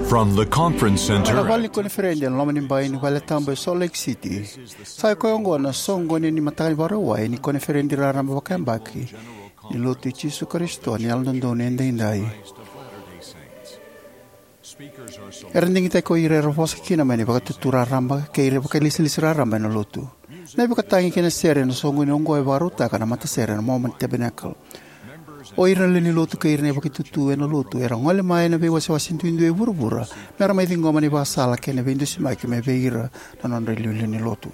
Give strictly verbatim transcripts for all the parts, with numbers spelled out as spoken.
From the conference center. Na vale ni koniferedi ena loma ni bai ni vale tabu e Salt Lake City. Sa i koya oqo na soqoni ni mataka ni Vakarauwai ni koniferedi raraba vakayabaki ni Lotu i Jisu Karisito ni Yalododonu Edaidai. Era digitaki ko ira era vosa kina mai na vakatutu raraba kei ira vakailesilesi raraba ena Lotu. Na ivakatagi kei na sere ena soqoni oqo e vakarautaka na matasere na Mormon Tabernacle. O ira na lewe ni Lotu kei ira na ivakaitutu ena Lotu era gole mai ena veiwasewase duidui e vuravura mera mai ciqoma na ivakasala kei na veidusimaki mai vei ira na nodra iliuliu ni Lotu.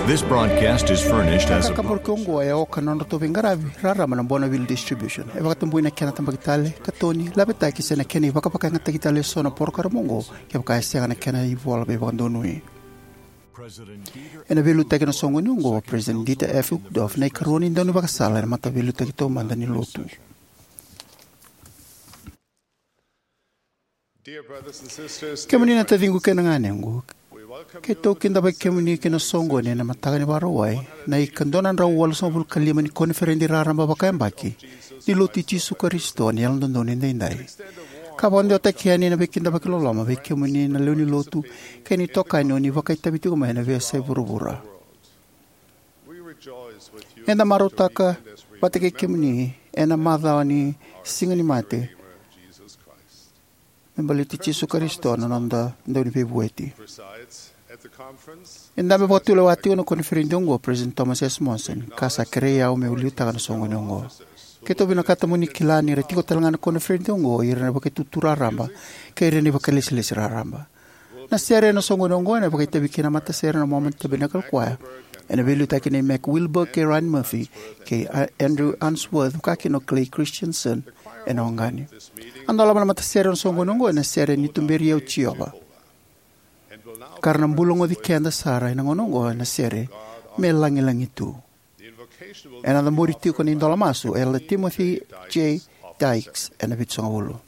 This broadcast is furnished as a Kakaburaki oqo e oka na nodratou veiqaravi raraba na Bonneville Distribution. E vakatabui na kena tabaki tale, katoni, lavetaki se na kena ivakavakayagataki tale eso na porokaramu oqo kevaka e sega na kena ivola veivakadonui. Ena veiliutaki ena soqoni oqo o President Dieter F. Uchtdorf, na ikarua ni daunivakasala ena Mataveiliutaki Taumada ni Lotu. Kemuni na taciqu kei na ganequ, keitou kidavaki kemuni ki na soqoni ena mataka ni Vakarauwai na ika dua na drau walusagavulu ka lima ni koniferedi raraba vakayabaki ni Lotu i Jisu Karisito ni Yalododonu Edaidai. Ka vakadewataki yani na veikidavaki loloma vei kemuni na lewe ni Lotu kei na itokani o ni vakaitavi tiko mai ena veiyasai vuravura. Eda marautaka vata kei kemuni ena macawa ni Siga ni Mate me baleti Jisu Karisito na noda Dauniveivueti. E dabe vakatulewa tiko na koniferedi oqo o President Thomas S. Monson, ka sa kerei au meu liutaka na soqoni oqo. Keitou vinakata mo ni kila ni ra tiko talega na koniferedi oqo o ira na vakaitutu raraba kei ira na vakailesilesi raraba. Na sere ena soqoni oqo ena vakaitavi kina na matasere na Mormon Tabernacle Choir, ena veiliutaki nei Mac Wilberg kei Ryan Murphy kei A-, Andrew Unsworth, vakakina o Clay Christensen ena oqani. A dolava na matasere ena soqoni oqo ena sere Ni Tuberi Au Jiova. Ka ra na bula goci keda sara ena gauna oqo ena sere Me Lagilagi Tu. Ena cabori tiko na idola masu o Elder Timothy J. Dykes ena vitusagavulu.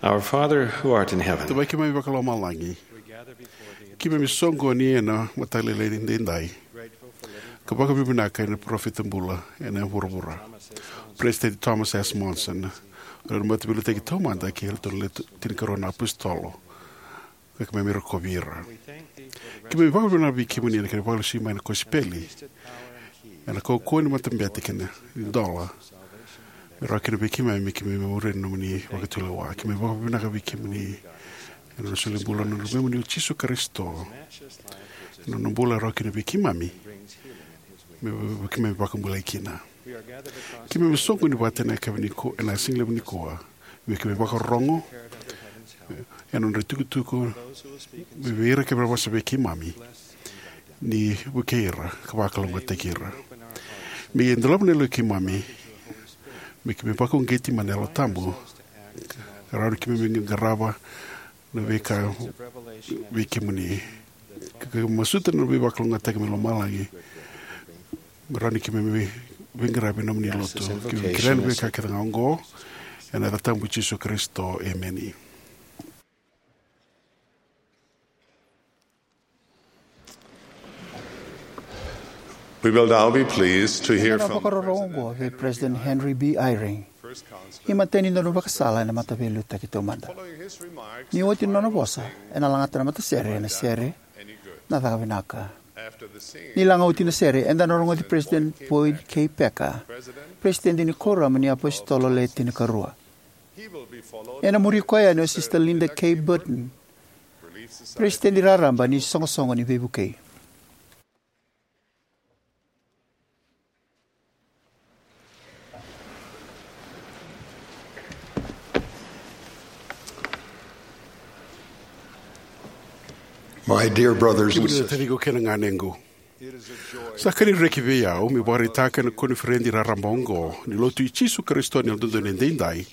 Our Father who art in heaven. Tamai keimami vakalomalagi, keimami soqoni ena mataka lailai edaidai ka vakavinavinaka ena parofita bula ena vuravura, President Thomas S. Monson, o ira na mataveiliutaki taumada kei iratou na Le Tinikarua na Apositolo, ka keimami rokovi ira. Keimami vakavinavinaka vei kemuni ena kena vakalesui mai na kosipeli ena kaukauwa ni matabete kei na dola, me rawa kina vei keimami me keimami muria na nomuni vakatulewa. Keimami vakavinavinaka vei kemuni ena nona solibula na Luvemuni o Jisu Karisito, ena nona bula e rawa kina vei keimami me keimami vakabulai kina. Keimami soqoni vata ena yakavi nikua, ena sigalevu nikua, me keimami vakarorogo ena nodra itukutuku, me vei ira kece era vosa vei keimami, ni vukei ira ka vakalougatataki ira. Me dolava na yaloi keimami, me keimami vakauqeti mai na Yalo Tabu, ka rawa ni keimami qarava na veika vei kemuni, ka masuta na veivakalougatataki mai lomalagi, me rawa ni keimami veiqaravi ena nomuni lotu. Keimami kerea na veika kece ga oqo ena yaca tabu i Jisu Karisito, emeni. We will now be pleased to hear from President Henry B. Eyring, imatai ni daunivakasala ena Mataveiliutaki Taumada. Ni oti na nona vosa, ena lagata na matasere ena sere Na Caka Vinaka. Ni laga oti na sere, eda na rogoci President Boyd K. Packer, President ni Kuoramu ni iApositolo Le Tinikarua. Ena muri koya yani o Sister Linda K. Burton, President raraba ni Soqosoqo ni Veivukei. My dear brothers and Kemuni na sisters, taciqu kei na ganequ, sa ka ni reki vei au meu vakaraitaka ena koniferedi raraba oqo ni Lotu i Jisu Karisito ni Yalododonu Edaidai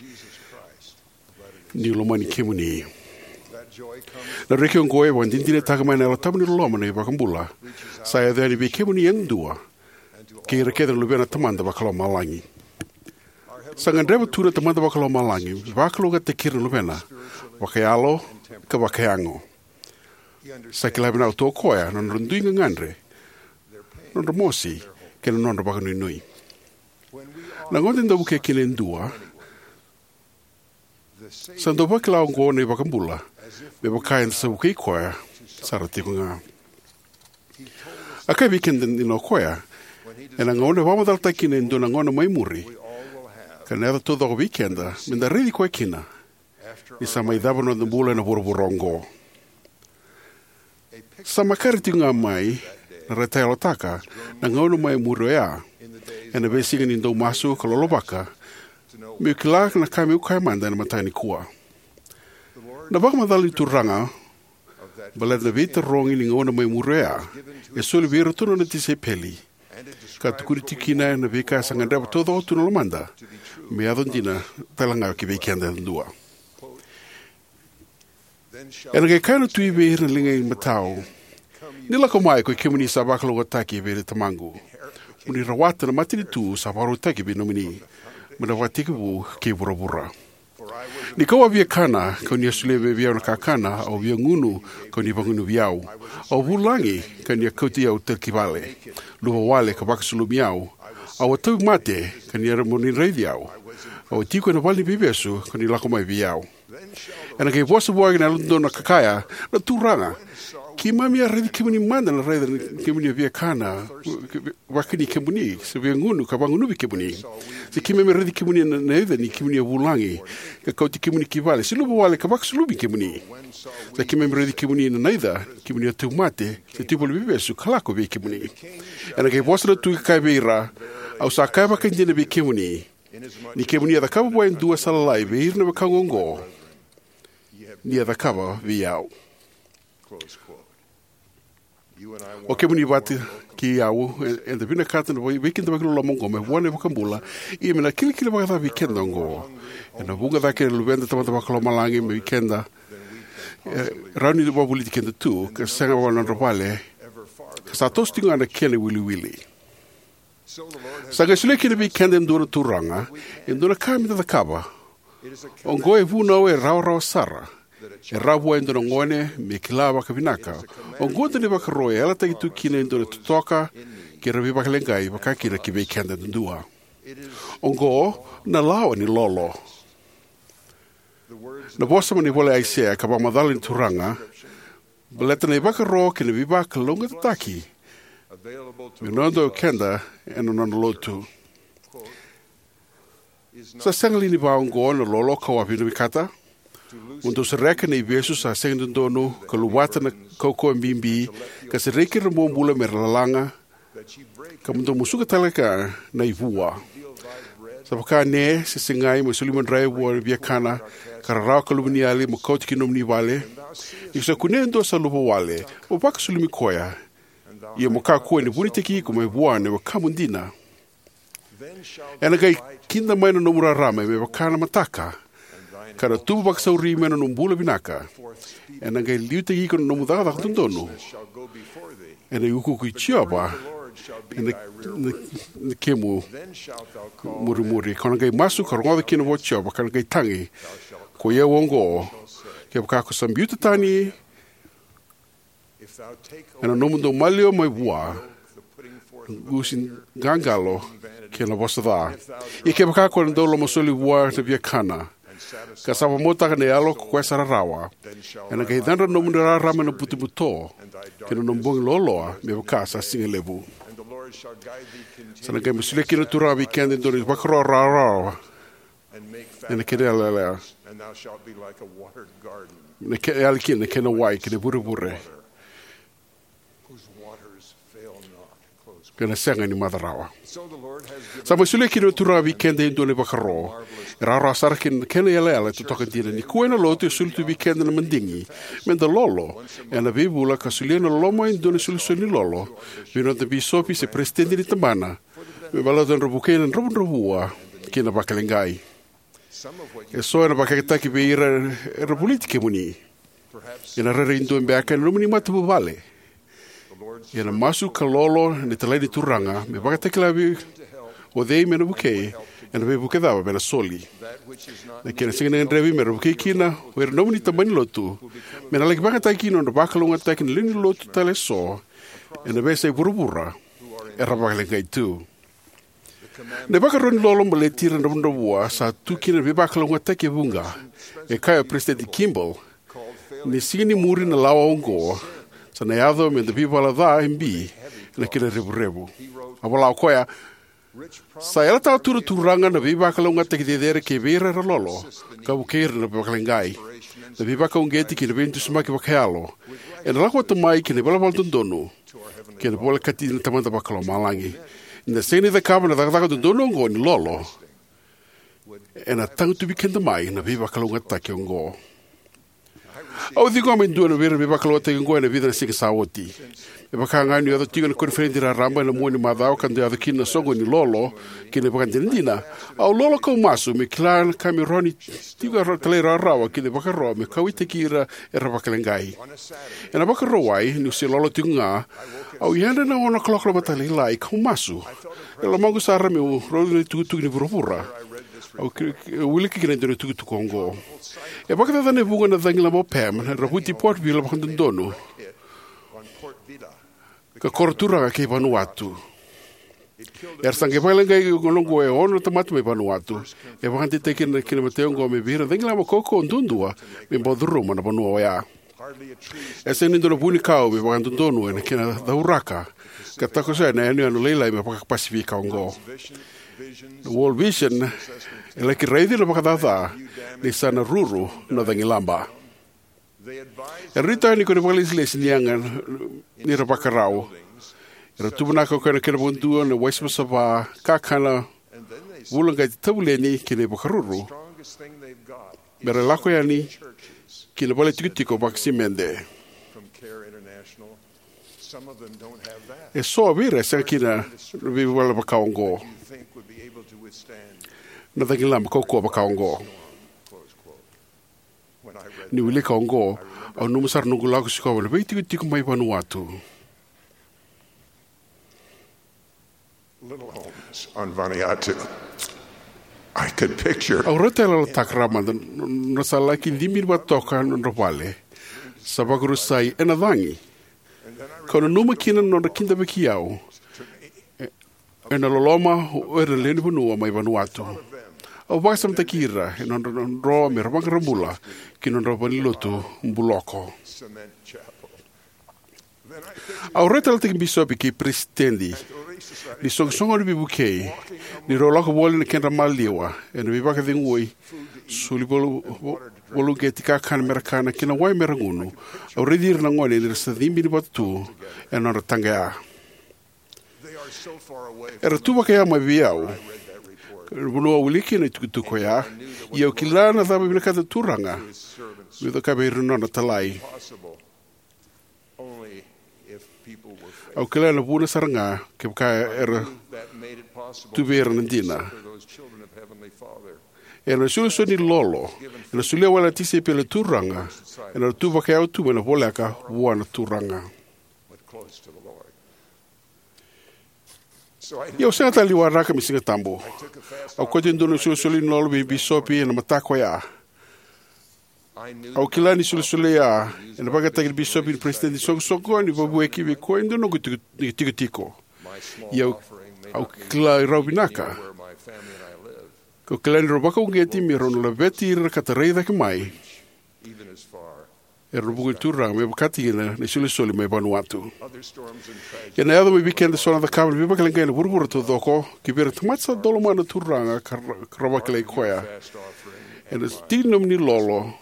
niu lomani kemuni. Na reki oqo e vakadinadinataka mai na Yalo Tabu ni loloma na iVakabula sa yaco yani vei kemuni yadua kei ira kece na luvena na Tamada Vakalomalagi. Sa gadreva tu na Tamada Vakalomalagi me vakalougatataki ira na luvena vakayalo ka vakayago. Sa kila vinaka tu o koya na nodra dui gagadre, nodra mosi, kei na nodra vakanuinui. Na gauna eda dau vukea kina e dua, sa dau vakila oqo na iVakabula me vaka eda sa vukei koya sara tiko ga. A kaya vei keda dina o koya ena gauna e vakamacalataki kina e dua na gauna mai muri, ka na yaco taucoko vei keda meda raici koya kina ni sa mai cava na noda bula ena vuravura oqo. Sa makare tiko ga mai na ra tayalotaka na gauna mai muri oya, ena veisiga ni dau masu ka lolovaka meu kila na ka meu kaya mada ena mataka nikua. Na vakamacala ni Turaga baleta na veitarogi ni gauna mai muri oya e soli vei iratou na nona tisaipeli, ka tukuni tiko kina na veika sa gadreva taucoko tu na lomada me yaco dina tale ga ki vei keda yadua. Ena qai kaya na Tui vei ira na liga i matau, ni lako mai, ko i kemuni sa vakalougatataki vei Tamaqu, mo ni rawata na matanitu sa vakarautaki vei nomuni mai na ivakatekivu kei vuravura. Ni kau a via kana, kau ni a solia vei au na kakana; au a via gunu, kau ni vagunuvi au; au a vulagi, kau ni a kauti au tale ki vale; luvawale, ka vakasulumi au; au a tauvimate, kau ni a, mo ni raici au; au a tiko ena vale ni veivesu, kau ni lako mai vei au. Ena qai vosa vua na Yalododonu ka kaya, na Turaga, keimami a raici kemuni mada na raica ni kemuni a via kana, vakani kemuni, se via gunu, ka vagunuvi kemuni? Se keimami a raici kemuni na naica ni kemuni a vulagi, ka kauti kemuni ki vale, se luvawale, ka vakasulumi kemuni? Sa keimami raici kemuni na naica ni kemuni a tauvimate, se tiko e vale ni veivesu, ka lako vei kemuni? Ena qai vosa na Tui ka kaya vei ira, au sa kaya vakaidina vei kemuni, ni kemuni a cakava vua e dua sa lalai vei ira na wekaqu oqo, ni a cakava vei au. O kemuni vata kei au, e, eda vinakata na vei, veikidavaki loloma oqo mai vua na iVakabula. Ia me na kilikili vakacava vei keda oqo? Ena vuqa cake na luveda na Tamada Vakalomalagi mai vei keda, e rawa ni vakavoliti keda tu, ka sega vua na nodra vale, ka sa toso tiko ga na kena iwiliwili. Sa qai solia kina vei keda e dua na Turaga e dua na ka meda cakava. Oqo e vunau e rawarawa sara. E rawa vua e dua na gone me kila vakavinaka. Oqo e dua na ivakaro e yalataki tu kina e dua na totoka kei ira na veivakaleqai, vaka kina ki vei keda yadua. Oqo na lawa ni lolo. Na vosa mai na ivola i Aisea ka vakamacala ni Turaga baleta na ivakaro kei na veivakalougatataki me noda o keda ena nona lotu. Sa sega li ni vaqo na lolo ka wavinakata? Mo dou sereka na ivesu sa sega ni dodonu ka luvata na kaukauwa bibi ka sereki ira na bobula me ra lalaga, ka mo dou musuka tale ga na ivua. Sa vaka ne se segai mo soli madrai vua na viakana ka rarawa ka luveniyali mo kauta ki nomuni vale. Ni ko sa kunea e dua sa luvawale, mo vakasulumi koya. Ia mo kakua ni vunitaki iko mai vua na wekamu dina. Ena qai kida mai na nomu rarama me vaka na mataka, ka na tubu vakasauri mai na nomu bula vinaka. Ena qai liutaki iko na nomu cakacaka dodonu. Ena iukuuku i Jiova ena, na, na kemu murimuri. Ko na qai masu ka rogoca kina vua Jiova, ka na qai tagi, ko i au oqo. Kevaka ko sa biuta tani ena nomu dau maliwa mai vua na gusi qaqalo kei na vosa ca. Ia kevaka ko na dau lomasoli vua na viakana, ka sa vakamautaka na yalo ko koya sa rarawa, ena qai cadra na nomu rarama ena butobuto, kei na nomu bogi loaloa me vaka sa siga levu. Sa na qai mai solia kina na Turaga vei keda e dua na ivakaro rawarawa ena kena yalayala, na ke- yali kina na kena wai kei na vurevure, ka na sega ni maca rawa. Sa mai solia kina na Turaga vei keda e dua na ivakaro e rawarawa sara kei na kena yalayala e totoka dina. Nikua ena lotu e soli tu vei keda na madigi me da lolo ena veivula ka solia na loloma e dua na isolisoli ni lolo vei noda bisopi se peresitedi ni tabana, me baleta nodra vukei na dravudravua kei na vakaleqai. Eso ena vakayagataki vei ira era voliti kemuni. Ena rairai dua beka ena nomuni matavuvale. Ia na masu ka lolo ena italai ni Turaga me vakatakila vei o cei me na vukei, ena veivuke cava me na soli. Na kena sega ni gadrevi me ra vukei kina o ira na nomuni tabana ni lotu, me na laki vakayagataki kina na nodra vakalougatataki na lewe ni lotu tale eso ena veiyasai vuravura era vakaleqai tu. Na ivakaro ni lolo baleti ira na dravudravua sa tu kina na veivakalougatataki e vuqa. E kaya o Peresitedi Kimball, ni siga ni muri na lawa oqo sa na yaco me da veivala ca e bi ena kena revurevu. A vola o koya, sa yalataka tu na Turaga na veivakalougatataki cecere kei vei ira era lolo ka vukei ira na vakaleqai, na veivakauqeti kei na veidusimaki vakayalo, ena lako vata mai kei na ivalavala dodonu kei na volekati ni Tamada Vakalomalagi. Ni da sega ni cakava na cakacaka dodonu oqo ni lolo, ena tagutuvi keda mai na veivakalougatataki oqo. Au ciqoma e dua na veivakalougatataki oqo ena vica na siga sa oti. Me vaka ga niu yaco tiko ena koniferedi raraba ena mua ni macawa ka dau yaco kina na soqo ni lolo kei na ivakadinadina, au lolo kau masu me kila na ka me rawa ni tiko talairawarawa kei na ivakaro me kauwaitaki ira era vakaleqai. Ena Vakarauwai, niu se lolo tiko ga, au yadra ena ono kaloko na mataka lailai kau masu. E lomaqu sara meu raica na itukutuku ni vuravura. Au ki- wilika kina e dua na itukutuku oqo. E vakacacana e vuqa na cagilaba o Pam era vuti Port Vila vakadodonu ka koro turaga kei Vanuatu. Era sa qai vakaleqai gauna oqo e ono na tamata mai Vanuatu. E vakadeitaki kina na imatai oqo me vei ira na cagilaba kaukauwa duadua me bau curuma na vanua oya. E sega ni dua na vunikau me vakadodonu ena kena cauraka ka takosoya na yanuyanu lailai me vaka-Pasifika oqo. Na World Vision e laki raici na vakacaca ni sa na ruru na cagilaba. Era nuitaka ni ko na vakalesilesi ni yaga ni ra vakarau. Era tuvanaka o koya na kena vakadua na wai savasava, kakana, vulaqati, tavuleni kei na ivakaruru me ra lako yani ki na vale tikotiko vakasimede. Eso vei ira e sega kina na veivala vaka oqo. Na cagilaba kaukauwa vaka oqo. Ni wilika oqo, au nanuma sara noqu lako sikova na veitikotiko mai Vanuatu. Little homes on Vanuatu. I could picture. Au raica e yalataka rawa mada na nodra sa laki cibi vata toka na nodra vale sa vakarusai ena cagi. Kau nanuma kina na nodra kidavaki au e- ena loloma o ira na lewe ni vanua mai Vanuatu. Au vakasamataki ira ena nodra dro me ra vaqara bula ki na nodra valenilotu buloko. Au rai tale tiko ki bisopi kei peresitedi ni soqosoqo ni veivukei, ni rau lako voli na kedra maliwa ena veivakacegui, soli valu-, valuqeti, kakana mera kana kei na wai mera gunu. Au raici ira na gone ni ra sa cibi ni vatu tu ena nodra taqaya. Era tu vakaya mai vei au, na vanua au wilika kina na itukutuku oya. Ia au kila na cava e vinakata na Turaga meu cakava vei ira na nona italai. Au kila na vuna sara ga kevaka era tu vei ira na dina. Ena isolisoli ni lolo ena solia wale na tisaipeli na Turaga, ena tu vakayau tu mai na voleka vua na Turaga. Ia au sega tale ni waraka me Siga Tabu. Au kauta e dua na isolisoli ni lolo vei bisopi ena mataka oya. Au kila ni isolisoli oya ena vakayagataki na bisopi ni peresitedi ni soqosoqo ni veivuke vei koya e dua noqu tiko-, ni tikotiko. Ia au, au kila e rau vinaka. Kau kila ni rau vakauqeti me rau na laveti ira ka tarai cake mai era na vuku ni Turaga me vakataki na isolisoli mai Vanuatu. Ena yaco mai vei keda eso na cakacaka ni veivakaleqai ena vuravura taucoko, ki vei ira na tamata sa dau lomana na Turaga ka ra-, ka ra vakilai koya. Ena tiki ni nomuni lolo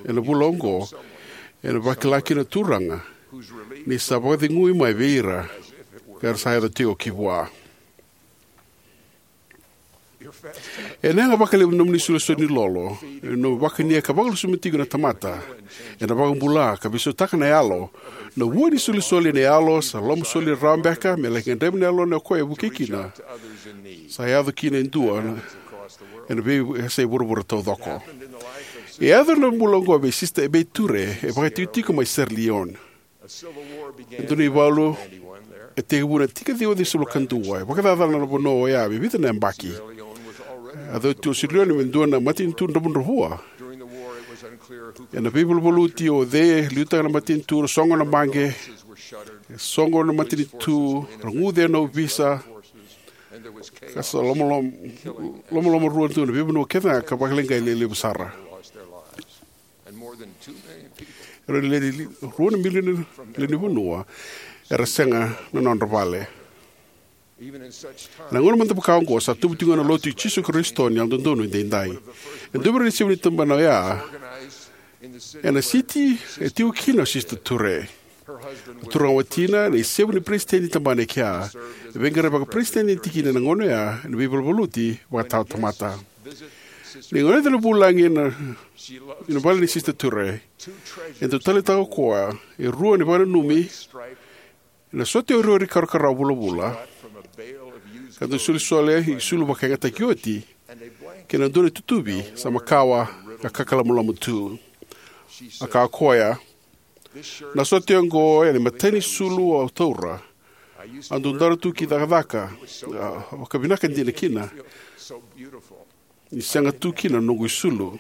ena vula oqo, ena vakila kina na Turaga ni sa vakacegui mai vei ira ka ra sa yaco tiko ki vua. Ena yaga vakalevu na nomuni isolisoli ni lolo, ena vakania ka vakalusumia tiko na tamata, ena vakabula ka veisautaka na yalo. Na vua ni isolisoli ena yalo sa lomasoli rawa beka me laki gadrevi na yalona o koya e vukei kina. Sa yaco kina e dua na, ena veiyasai vuravura taucoko. E yaco na bula oqo vei Sisita Ebei Ture, e vakaitikotiko mai Sierra Leone. E dua na ivalu e tekivu na tiki ciwa ciwasagavulu ka dua, e vakacacana na vanua oya me vica na yabaki. E yaco tu o Sierra Leone me dua na matanitu dravudravua. Ena veivaluvaluti o cei e liutaka na matanitu, ra sogo na baqe, e sogo na matanitu, ra guce na ovisa, ka sa lomalom-, lomalomarua tu na veivanua kece ga ka vakaleqai lelevu sara. Era lewe ni rua na milioni lewe ni vanua era sega na nodra vale. Ena gauna mada vaka oqo sa tubu tiko ga na Lotu i Jisu Karisito ni Yalododonu Edaidai. E dua vei ira na isevu ni tabana oya ena siti e tiko kina o Sisita Ture. Na turaga watina na isevu ni peresitedi ni tabana e kea, e veiqaravi vakaperesitedi ni tikina ena gauna oya ena veivaluvaluti vakatawatamata. Ni gone na vulagi ena, ena vale ni Sisita Ture, e dau taleitaka o koya e rua na ivakananumi ena sote oreore karakarawa vulavula, ka dau solisoli i sulu vakayagataki oti, kei na dua na itutuvi sa makawa ka kakalamolamua tu. A kaya o koya, na sote oqo ena imatai ni sulu au taura. Au dau dara tu ki cakacaka, a, vakavinaka dina kina. Ni sega tu kina na noqu isulu.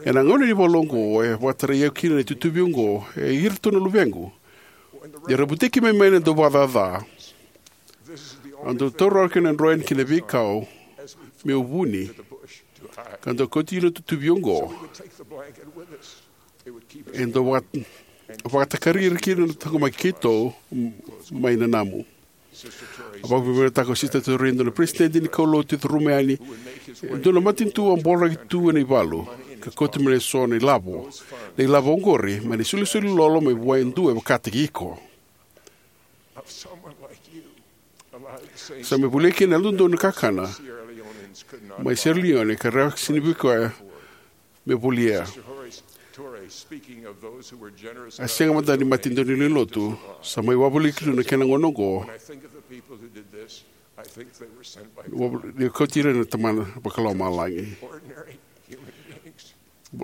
Ena gauna ni valu oqo, e vakatarai au kina na itutuvi oqo, e iratou na luvequ. Ni ra butaki mai mai na dauvakacaca. Au dau taura kina na droini kei na veikau, meu vuni. Ka dau kauti ira na itutuvi oqo. E dau vaka-, vakatakari ira kina na taqomaki keitou, m-, mai nanamu. A vakavinavinakataka o Sisita Ture e dua na peresitedi ni kaulotu e curuma yani e dua na matanitu a boloraki tu ena ivalu, ka kauta mai eso na ilavo. Na ilavo oqori, mai na isolisoli lolo mai vua e dua e vakataki iko. Sa mai volia kina na yalododonu na kakana mai Sierra Leone, ka ra sega ni vukea me volia. A sega mada ni matanitu ni lotu sa mai wavoliti tu na kena gauna oqo. Ni kauti ira na Tamana Vakalomalagi.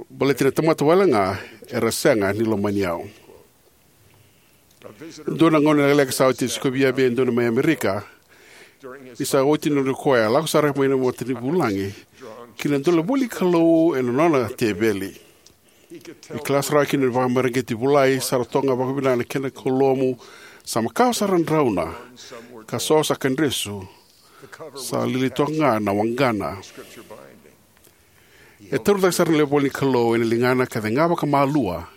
Baleti na tamata wale ga era sega ni lomani au. Dua na gauna lekaleka sa oti, e sikovi vei au e dua mai Amerika. Ni sa oti na nona koya, lako sara mai na matanitu vulagi ki na dua na vale ni Kalou ena nona teveli. E kila sara kina ni vakamareqeti vulai sara toka ga vakavinaka na kena kaulotu, sa makawa sara drauna, ka so sa kadresu, sa lili toka ga na waqana. E taura cake sara na lewe ni Kalou ena ligana ka cega vakamalua.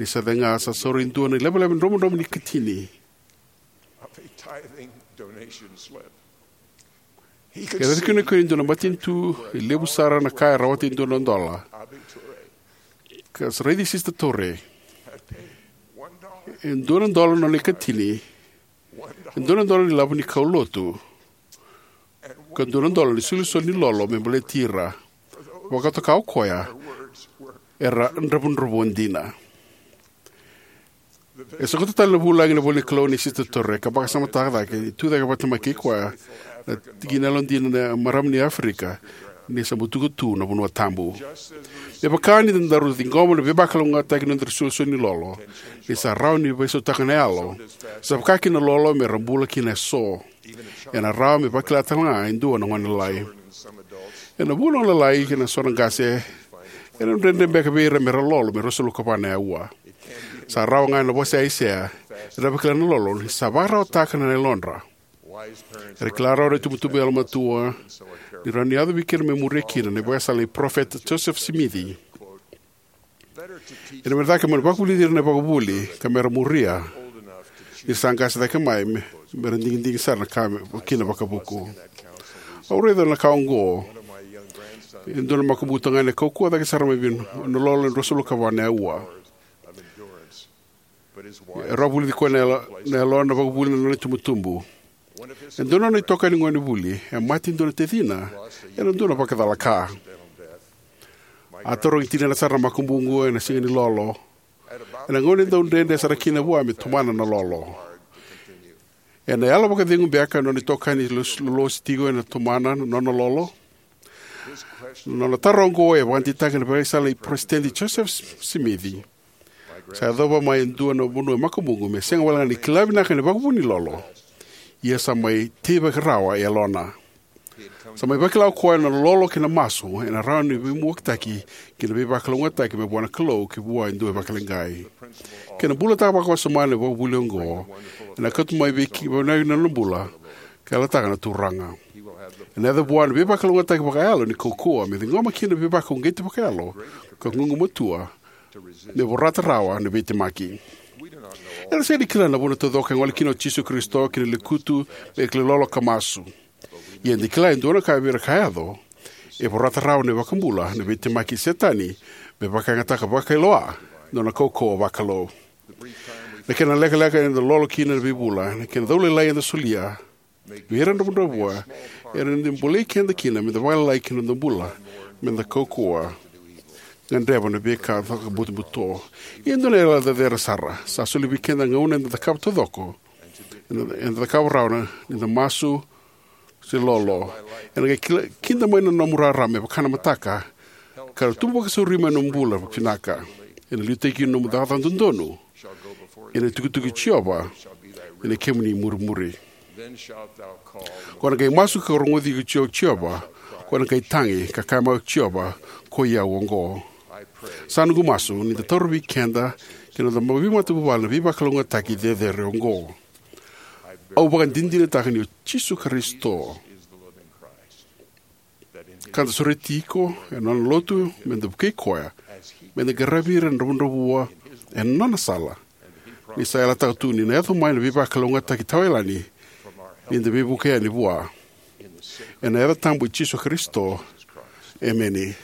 Ni sa cega, sa saura e dua na leveleve dromudromu ni ikatini. Of a tithing donation slip. He could Era see tukuna ko e dua na matanitu e levu sara na ka e rawata e dua na dola. Abiture Ka sa raici Sista Torre. Had paid one dollar. E dua na dola na nona ikatini. E dua na dola ni lavo ni kaulotu. Ka dua na dola ni solisoli ni lolo me baleti ira. Vakatoka o koya, era dravudravua dina. E sokota tale na vulagi na ivola ni Kalou nei Sista Torre ka vakasamataka cake ni tu cake vata mai kei koya na tikina yalodina na marama ni Aferika ni sa butuka tu na vanua tabu. Me vaka ni daru ciqoma na veivakalougatataki ni nodaru solisoli ni lolo, ni sa rawa ni veisautaka na yalo, sa vaka kina na lolo me ra bula kina eso. Ena rawa me vakila tale ga e dua na gone lalai. Ena vuku na gone lalai kei na so na qase, ena dredre beka vei ira me ra lolo me ruasagavulu ka va na aua. Sa rawa ga ena vosa i Aisea, era vakila na lolo ni sa vakararawataka na yalodra. Era kila rawa na itubutubu yalomatua ni rawa ni yaco vei keda me muria kina na ivakasala nei Parofita Josefa Simici. Ena me cake mo na vakavulici ira na ivakavuvuli ka me ra muria ni ra sa qase cake mai me, me ra digidigi sara na ka me, kina vakavuku. Au raica na ka oqo. E dua na makubuqu tagane kaukauwa cake sara mai vei na lolo e ruasagavulu ka va na aua. E rawa vulici koya na yalo, na yalo na vakavuli na nona itubutubu. E dua na nona itokani gone vuli e mate e dua na tacina ena dua na vakacalaka. A tarogi tinana sara na makubuqu ena siga ni lolo, ena gauna e dau dredre sara kina vua me tomana na lolo. Ena yalo vakacegu beka na nona itokani lolosi tiko ena tomana na nona lolo? Na nona taro oqo e vakadeitaka na ivakasala nei Peresitedi Josefa Simici. Sa yacova mai e dua na vanua e makubuqu me sega walega ni kila vinaka na ivakavuvuli ni lolo, ia sa mai teivaki rawa e yalona. Sa mai vakila o koya na lolo kei na masu ena rawa ni veimuakitaki kei na veivakalougatataki mai vua na Kalou ki vua e dua e vakaleqai. Kena bulataka vakawasoma na ivakavuvuli oqo, ena kauta mai vei ki, vei na nona bula, ka yalataka na Turaga. Ena yaco vua na veivakalougatataki vakayalo ni kaukauwa me ciqoma kina na veivakauqeti vakayalo ka gugumatua me vorata rawa na veitemaki. Eda sega ni kila na vuna taucoko e gole kina o Jisu Karisito ki na lekutu me kilai lolo ka masu. Ia eda kila e dua na ka vei ira ka yaco, e vorata rawa na iVakabula na veitemaki i Setani me vakayagataka vakailoa na nona kaukauwa vakalou. Na kena lekaleka eda lolo kina na veivula, na kena cau lailai eda solia vei ira dravudravua, era na bolei keda kina meda vakalailai ki na noda bula, meda kaukauwa gadreva na veika vakabutobuto. Ia e dua na yalayala cecere sara sa soli vei keda na gauna eda cakava taucoko, eda, eda cakava rawa na, ni da masu se lolo. Ena qai kila, kida mai na nomu rarama me vaka na mataka, ka ra tubu vakasauri mai na nomu bula vinaka. Ena liutaki kina nomu cakacaka dodonu, ena itukutuku i Jiova ena kemuni murimuri. Ko na qai masu ka rogoci iko Jiova, ko na qai tagi ka kaya mai o Jiova, ko i au oqo. Sa noqu masu ni da taura vei keda kei na noda veimatavuvale na veivakalougatataki cecere oqo. Au vakadinadinataka ni o Jisu Karisito ka da sureti iko ena nona lotu, meda vukei koya meda qaravi ira na dravudravua ena nona sala. Ni sa yalataka tu ni na yaco mai na veivakalougatataki tawayalani ni da veivuke yani vua. Ena yaca tabu i Jisu Karisito. Emeni.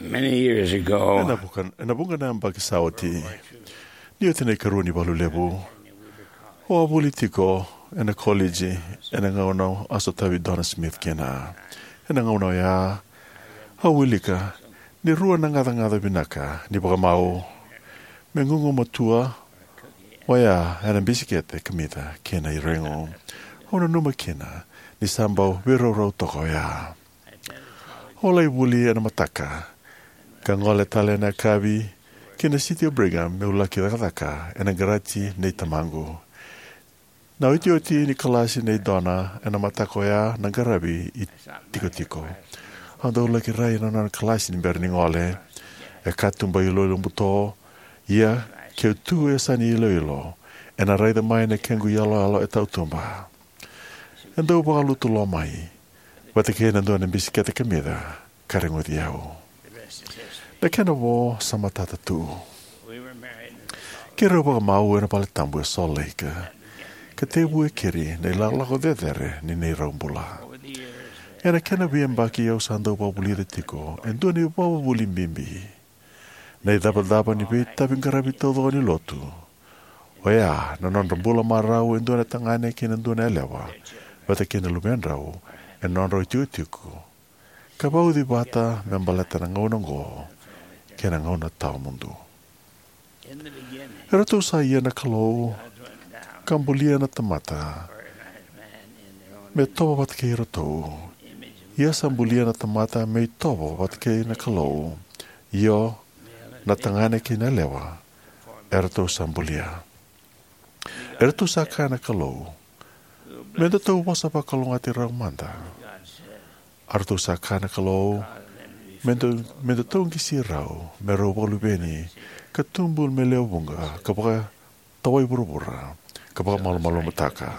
Many years ago, ena vuka, ena vuqa na yabaki sa oti, ni oti na ikarua ni valu levu, au a vuli tiko ena koleji ena gauna a sotavi Donna Smith kina. Ena gauna oya, au wilika ni rua na gacagaca vinaka ni vakamau: me gugumatua oya ena bisikete kamica kei na iregu. Au nanuma kina ni sa bau veiraurau toka oya. Au lai vuli ena mataka, ka gole tale ena yakavi ki na City o Brigham me'u laki cakacaka ena qaraji nei tamaqu. Na iotioti ni kalasi nei Donna ena mataka oya na qaravi itikotiko. Au dau laki rai ena nona kalasi ni bera ni gole. E katuba iloilo buto, ia keu tu e yasani iloilo, ena raica mai na kequ iyaloyalo e tautuba. E dau vakalutu lo mai vata kei na dua na bisikete kamica ka reguci au. Na kena vo sa matata tu. Keirau vakamau ena valetabu e Salt Lake, ka tekivu e keri na ilakolako cecere ni neirau bula. Ena kena veiyabaki au sa dau vakavulica tiko e dua na ivakavuvuli bibi. Na icavacava ni veitavi qaravi taucoko ni lotu, oya na nodra bula marau e dua na tagane kei na dua na yalewa vata kei na luvedrau ena nodrau itikotiko, ka vauci vata me baleta na gauna oqo kei na gauna tawamudu. E ratou sa ia na Kalou ka bulia na tamata me tovo vata kei iratou. Ia sa bulia na tamata me itovo vata kei na Kalou. Io, na tagane kei na yalewa e ratou sa bulia. E ratou sa kaya na Kalou, me datou vosa vakalougatataki rau mada. A ratou sa kaya na Kalou, me da, me datou qisi rau me rau vakaluveni, ka tubu me lewe vuqa, ka vakatawai vuravura, ka vakamalumalumutaka.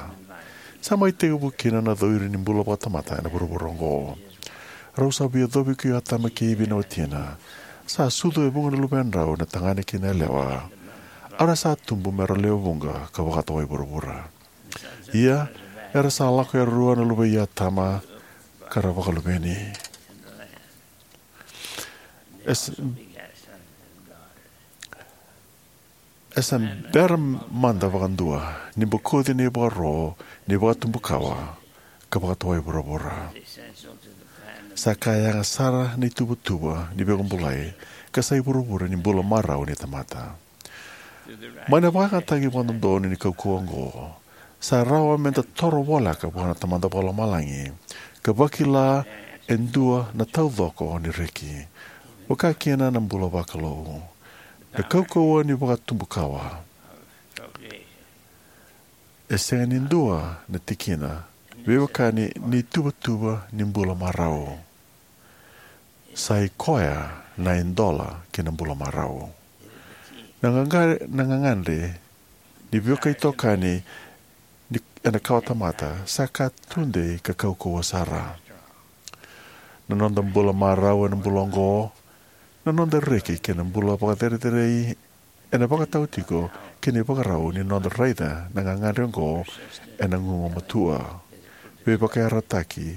Sa mai tekivu kina na cowiri ni bula vakatamata ena vuravura oqo. Rau sa via yacovi ko Atama kei Ivi na watina. Sa sucu e vuqa na luvedrau, na tagane kei na yalewa. A ra sa tubu me ra lewe vuqa ka vakatawai vuravura. Ia, era sa lako e rua na luve i Atama ka ra vakaluveni. E sa, e sa bera mada vakadua ni bokoci na ivakaro ni vakatubukawa ka vakatawai vuravura. Sa ka yaga sara na ituvatuva ni veivakabulai ka sa ivuravura ni bula marau ni tamata. Mai na vakayagataki vakadodonu ni kaukauwa oqo, sa rawa me da toro voleka vua na Tamada Vakalomalagi ka vakila e dua na taucoko ni reki, vaka kina na bula vakalou. Na kaukauwa ni vakatubukawa e sega ni dua na tikina veiwekani ni tuvatuva ni bula marau. Sa i koya na idola ki na bula marau. Na gaga-, na gagadre ni vakaitokani ni, ena kawatamata sa ka tudei ka kaukauwa sara. Na noda bula marau ena bula oqo, na noda reki kei na bula vakacerecerei ena vakatau tiko ki na ivakarau ni noda raica na gagadre oqo ena gugumatua, veivakayarayarataki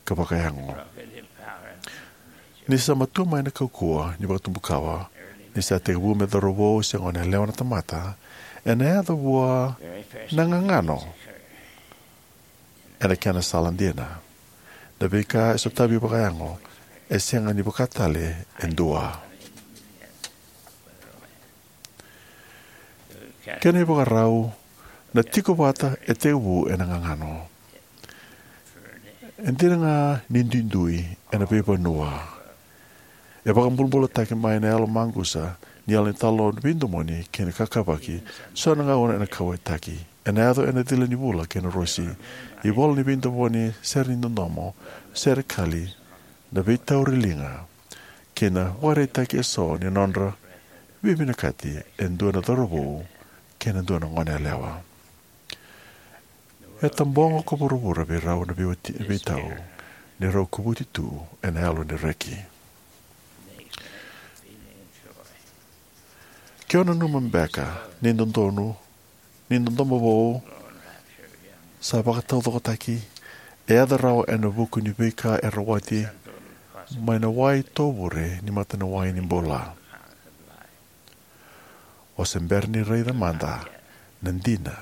ka vakayago. Ni sa matua mai na kaukauwa ni vakatubukawa, ni sa tekivu me cauravou se goneyalewa na tamata, ena yaco vua na gagano ena kena sala dina. Na veika e sotavi vakayago e sega ni vaka tale e dua. Kena ivakarau, na tiko vata e tekivu ena gagano. E dina ga ni duidui ena veivanua, e vakabulabulataki mai na yalo maqusa ni yalo ni talanoa veidomoni kei na kakavaki, so na gauna ena kauwaitaki. Ena yaco ena cila ni vula kei na rosi, ivola ni veidomoni, sere ni dodomo, sere kali, na veitauri liga, kei na vakaraitaki eso ni nodra veivinakati e dua na cauravou kei na dua na goneyalewa. E tabogo ko vuravura vei rau na veiwati-, veitau ni rau kovuti tu ena yalo ni reki. Ke o nanuma beka ni dodonu, ni dodomo vou sa vakataucokotaki, e yaco rawa ena vuku ni veika e rawati mai na wai tovure ni mata ni wai ni bula. O se bera ni raica mada na dina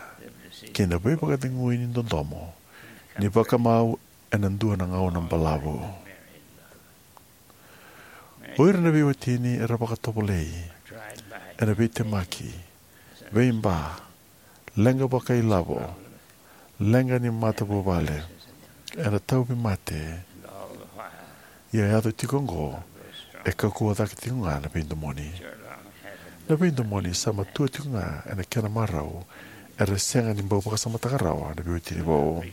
kei na veivakacegui ni dodomo ni vakamau ena dua na gauna balavu. O ira na veiwatini era vakatovolei ena veitemaki, veiba, leqa vakailavo, leqa ni matavuvale, ena tauvimate. Ia yaco tiko oqo, e kaukauwa cake tiko ga na veidomoni. Na veidomoni sa matua tiko ga ena kena marau, era sega ni bau vakasamataka rawa na veiwatini vou.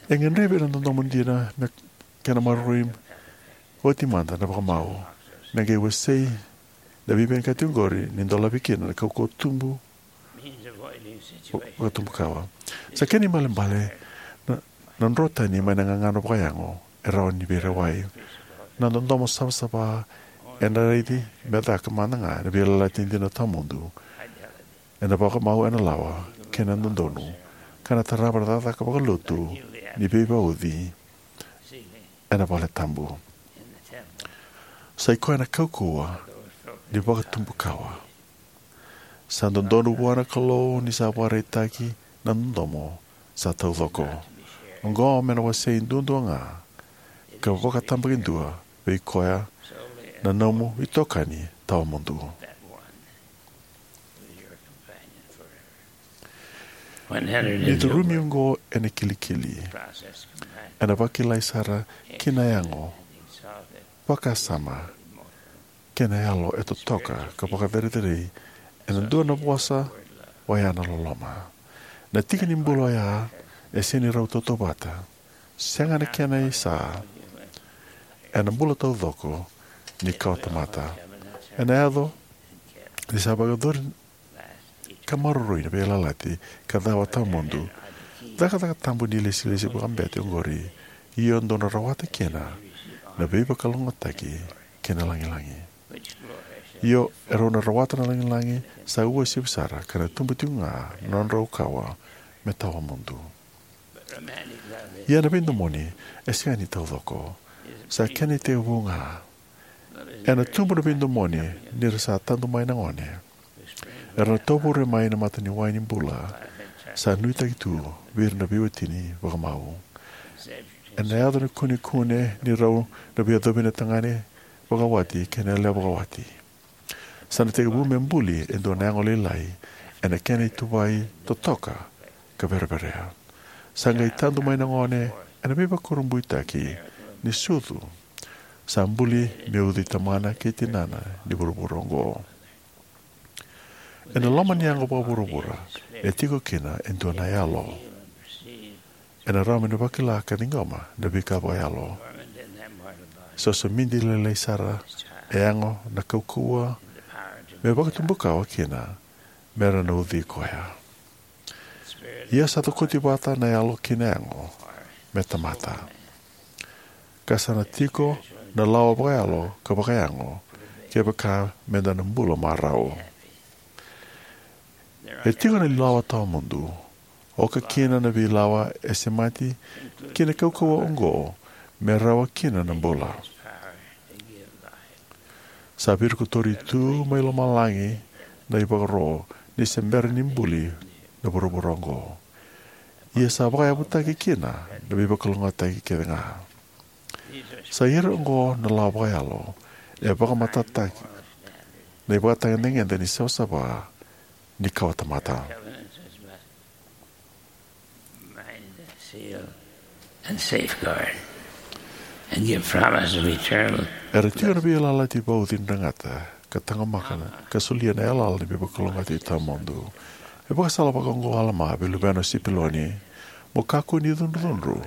E gadrevi ena dodomo dina me kena maroroi oti mada na vakamau, me qai wasei na veivinakati oqori ni dolavi kina na kaukauwa tubu vakatubukawa. Sa kena ibalebale na, na dro tani mai na gagano vakayago e rawa ni veirewai. Na dodomo savasava ena raici me caka mada ga na veiyalayalati dina tawamudu ena vakamau ena lawa kei na dodonu, ka na tarava na cakacaka vakalotu ni veivauci ena vale tabu. Sa i koya na kaukauwa ni vakatubukawa. Sa dodonu vua na Kalou ni sa vakaraitaki na dodomo sa taucoko. Oqo me na wasei duadua ga ka vakatabakidua vei koya na nomu itokani tawamudu. Ni curumi oqo ena kilikili, ena vakilai sara ki na yago, vakasama, kei na yalo e totoka ka vakacerecerei ena dua na vosa, oya na loloma. Na tiki ni bula oya e sega ni rau tautauvata, sega na kena isa ena bula taucoko ni kawatamata. Ena yaco ni sa vakayacori ka maroroi na veiyalayalati ka cawa tawamudu, cakacaka tabu ni ilesilesi vakabete oqori, io dou na rawata kina na veivakalougatataki kei na lagilagi. Io, erau na rawata na lagilagi sa uasivi sara, ka na tubu tiko ga na nodrau kawa me tawamudu. Ia na veidomoni e sega ni taucoko, sa kena itekivu ga. Ena tubu na veidomoni ni ra sa tadu mai na gone. Era na tovure mai na mata ni wai ni bula sa nuitaki tu vei ira na veiwatini vakamau. Ena yaco na kunekune ni rau na veiyacovi na tagane vakawati kei na yalewa vakawati. Sa na tekivu me buli e dua na yago lailai ena kena ituvai totoka ka vereverea. Sa qai tadu mai na gone ena veivakurabuitaki ni sucu. Sa buli me ucui tamana kei tinana ni vuravura oqo. Ena loma ni yago vakavuravura e tiko kina e dua na yalo. Ena rawa me na vakila ka ciqoma na veika vakayalo. Sa somidi lailai sara e yago na kaukauwa me vakatubukawa kina me ra na ucui koya. Ia sa cokoti vata na yalo kei na yago me tamata, ka sa na tiko na lawa vakayalo ka vakayago kevaka me da na bula marau. E tiko na lawa tawamudu, oka kina na veilawa e semati ki na kaukauwa oqo me rawa kina na bula. Sa virikotori tu mai lomalagi na ivakaro ni se bera ni buli na vuravura oqo. Ia sa vakayavutaki kina na veivakalougatataki kece ga. Sa ira oqo na lawa vakayalo e vakamatataki na ivakatagedegede ni savasava ni kawatamata. Seal and safeguard and give promise of eternal. Era tiko na veiyalayalati vauci ni dragata ka taqomaka na ka solia na yalayala ni veivakalougatataki tawamudu. E vakasala vakaoqo o Alama vei luvena o Sipiloni: Mo kakua ni cudrucudru,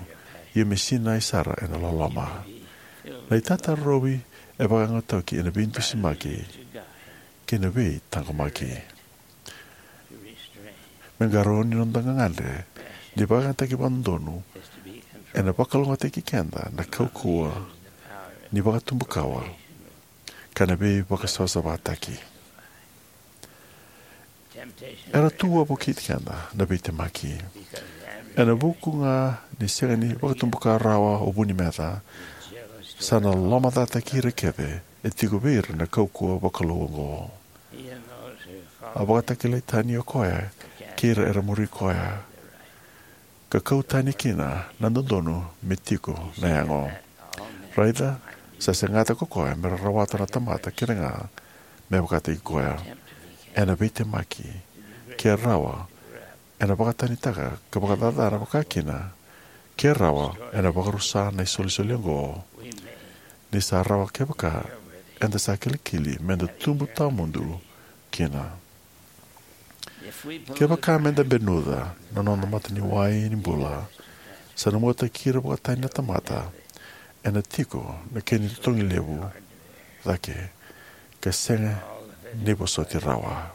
ia me sinai sara ena loloma. Na itatarovi e vakayagataki ena veidusimaki kei na veitaqomaki. Me qarauni noda gagadre ni vakayagataki vakadodonu ena vakalougatataki keda na kaukauwa ni vakatubukawa ka na veivakasavasavataki. Era tu wavokiti keda na veitemaki ena vuku ga ni sega ni vakatubuka rawa o vu ni meca, sa na lomacataki ira kece e tiko vei ira na kaukauwa vakalou oqo. A vakatakilai tani o koya kei ira era muri koya, ka kau tani kina na dodonu me tiko na yago. Raica, sa segata ko koya me ra rawata na tamata kece ga me vakataki koya. Ena veitemaki, ke rawa, ena vakatanitaka ka vakacacana vakakina, ke rawa, ena vakarusa na isolisoli oqo. Ni sa rawa kevaka eda sa kilikili meda tubu tawamudu kina. Kevaka meda benuca na noda mataniwai ni bula, sa na muataki ira vakatani na tamata, ena tiko na kena itotogi levu cake, ka sega ni vosoti rawa.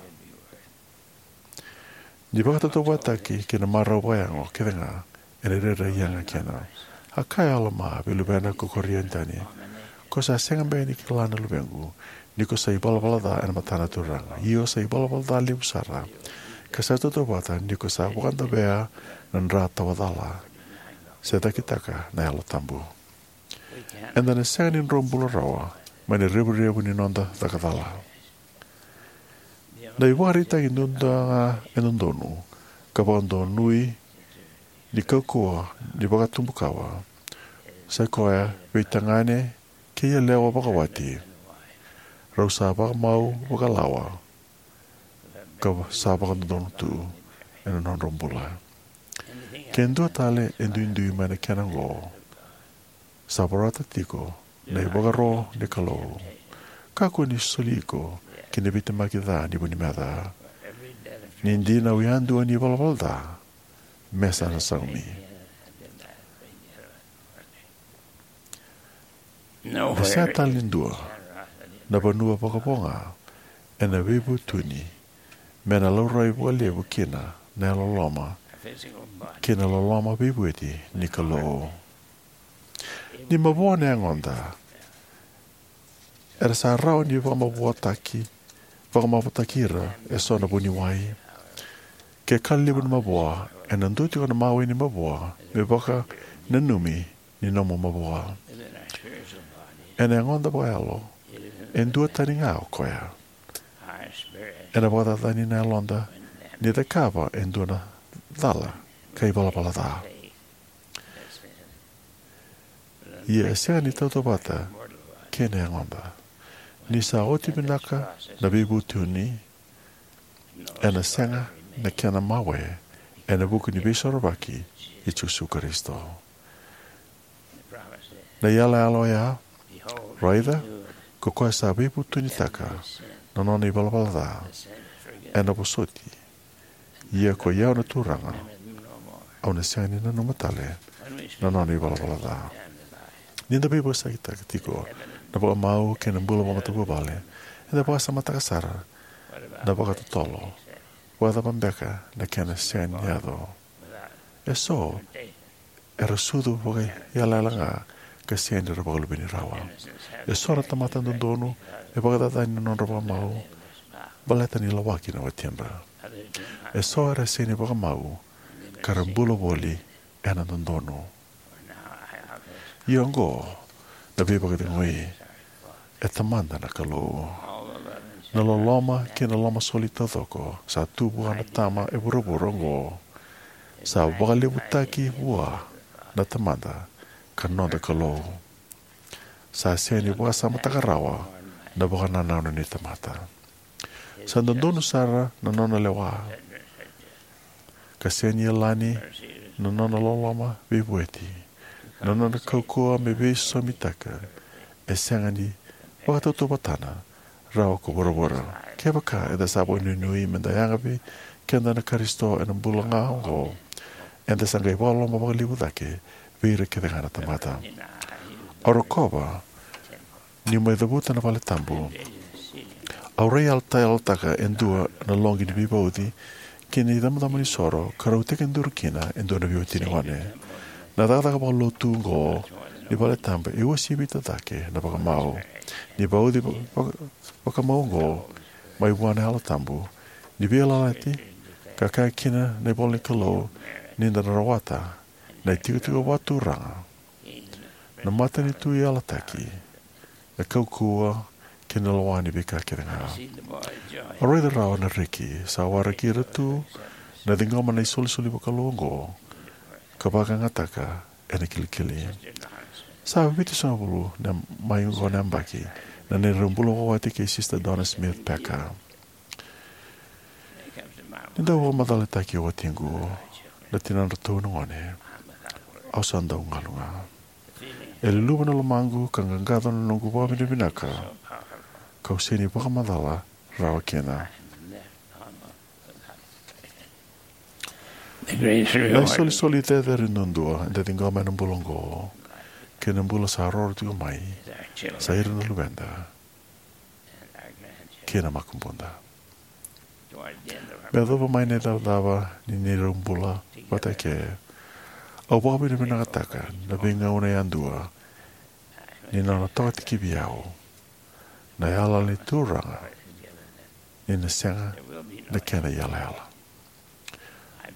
Ni vakatautauvatataki kei na marau vakayago kece ga, ena rairai yaga kina. A kaya o Alama vei luvena ko Korianitoni, ko sa sega beka ni kila na luvequ, ni ko sa ivalavala ca ena mata na Turaga. Io, sa ivalavala ca levu sara, ka sa tautauvata ni ko sa vakadavea na dra tawa cala, se cakitaka na Yalo Tabu. Eda na sega ni drobula rawa mai na revurevu ni noda caka cala. Na ivakaraitaki duadua ga e dodonu ka vakadonui ni kaukauwa ni vakatubukawa, sa koya vei tagane kei yalewa vakawati rau sa vakamau vakalawa ka sa vakadodonu tu ena nodra bula. Ke dua tale e duidui mai na kena oqo, sa vorata tiko na ivakaro ni Kalou. Kakua ni soli iko ki na veitemaki ca ni vu ni meca. Ni dina au yadua ni valavala ca me sa na saumi. E sega tale ni dua na vanua vakavo ga ena veivutuni me na laurai vakalevu kina na yalololoma kei na loloma veivueti ni Kalou. Ni mavoa na yagoda, era sa rawa ni vakamavoataki, vakamavoataki ira eso na vuniwai. Ke ka levu na mavoa, ena dua tiko na mawe ni mavoa me vakananumi ni nomu mavoa. Ena yagoda vakayalo, e dua tani ga o koya. Ena vakacacani na yaloda ni cakava e dua na cala ka ivalavala ca. Ia e sega ni tautauvata kei na yagoda. Ni sa oti vinaka na veivutuni, ena sega na kena mawe ena vuku ni veisorovaki i Jisu Karisito. Na yalayala oya, raica, ko koya sa veivutunitaka na nona ivalavala ca, ena vosoti. Ia ko i au na Turaga, au na sega ni nanuma tale na nona ivalavala ca. Ni da veivosakitaka tiko na vakamau kei na bula vakamatavuvale, eda vakasamataka sara na vakatotolo. Vakacava beka na kena sega ni yaco? Eso era sucu vakaiyalayala ga ka sega ni ra vakaluveni rawa. Eso na tamata dodonu e vakacacani na nodra vakamau baleta ni lawaki na watidra. Eso era sega ni vakamau ka ra bula voli ena dodonu. Ia oqo na veivakacegui, e Tamada na Kalou. Na loloma kei na lomasoli taucoko sa tu vua na tama e vuravura oqo sa vakalevutaki vua na Tamada ka noda Kalou. Sa sega ni vakasamataka rawa na vakanananu ni tamata. Sa dodonu sara na nona lewa, ka sega ni yalani na nona loloma veivueti. Na nona kaukauwa me veisosomitaka e sega ni vakatautauvatana rawa ko vuravura. Kevaka eda sa vakanuinui meda yaga vei keda na Karisito ena bula ga oqo, eda sa qai vakaloloma vakalevu cake vei ira kece ga na tamata. Au rokova niu mai cavuta na vale tabu, au rai yalotaka e dua na loqi ni veivauci ki na icabocabo ni soro ka rau tekiduru kina e dua na veiwatini gone. Na cakacaka vakalotu oqo ni vale tabu e uasivita cake na vakamau. Ni vauci vaka- vakamau oqo mai vua na Yalo Tabu, ni veiyalayalati, ka kaya kina na ivola ni Kalou ni da na rawata na itikotiko vakaturaga Na matanitu yalataki, na kaukauwa kei na lewa ni veika kece ga. Au raica rawa na reki sa waraki ira tu na ciqoma na isolisoli vakalou oqo ka vakayagataka ena kilikili. Sa vitusagavulu na mai oqo na yabaki na neirau bula vakawati kei Sister Donna Smith Packer. Ni dau vakamacalataki e watiqu na tinadratou na gone, au sa dau galu ga. E luluvu na lomaqu ka qaqaco na noqu vakavinavinaka, kau sega ni vakamacala rawa kina. Na isolisoli cecere duadua eda ciqoma ena bula oqo kei na bula sa roro tiko mai, sa ira na luveda kei na makubuda. Me yacova mai na icavacava ni neirau bula vata eke, au vakavinavinakataka na veigauna yadua ni nona tokatikivi au na yalayala ni Turaga, ni na sega na kena iyalayala.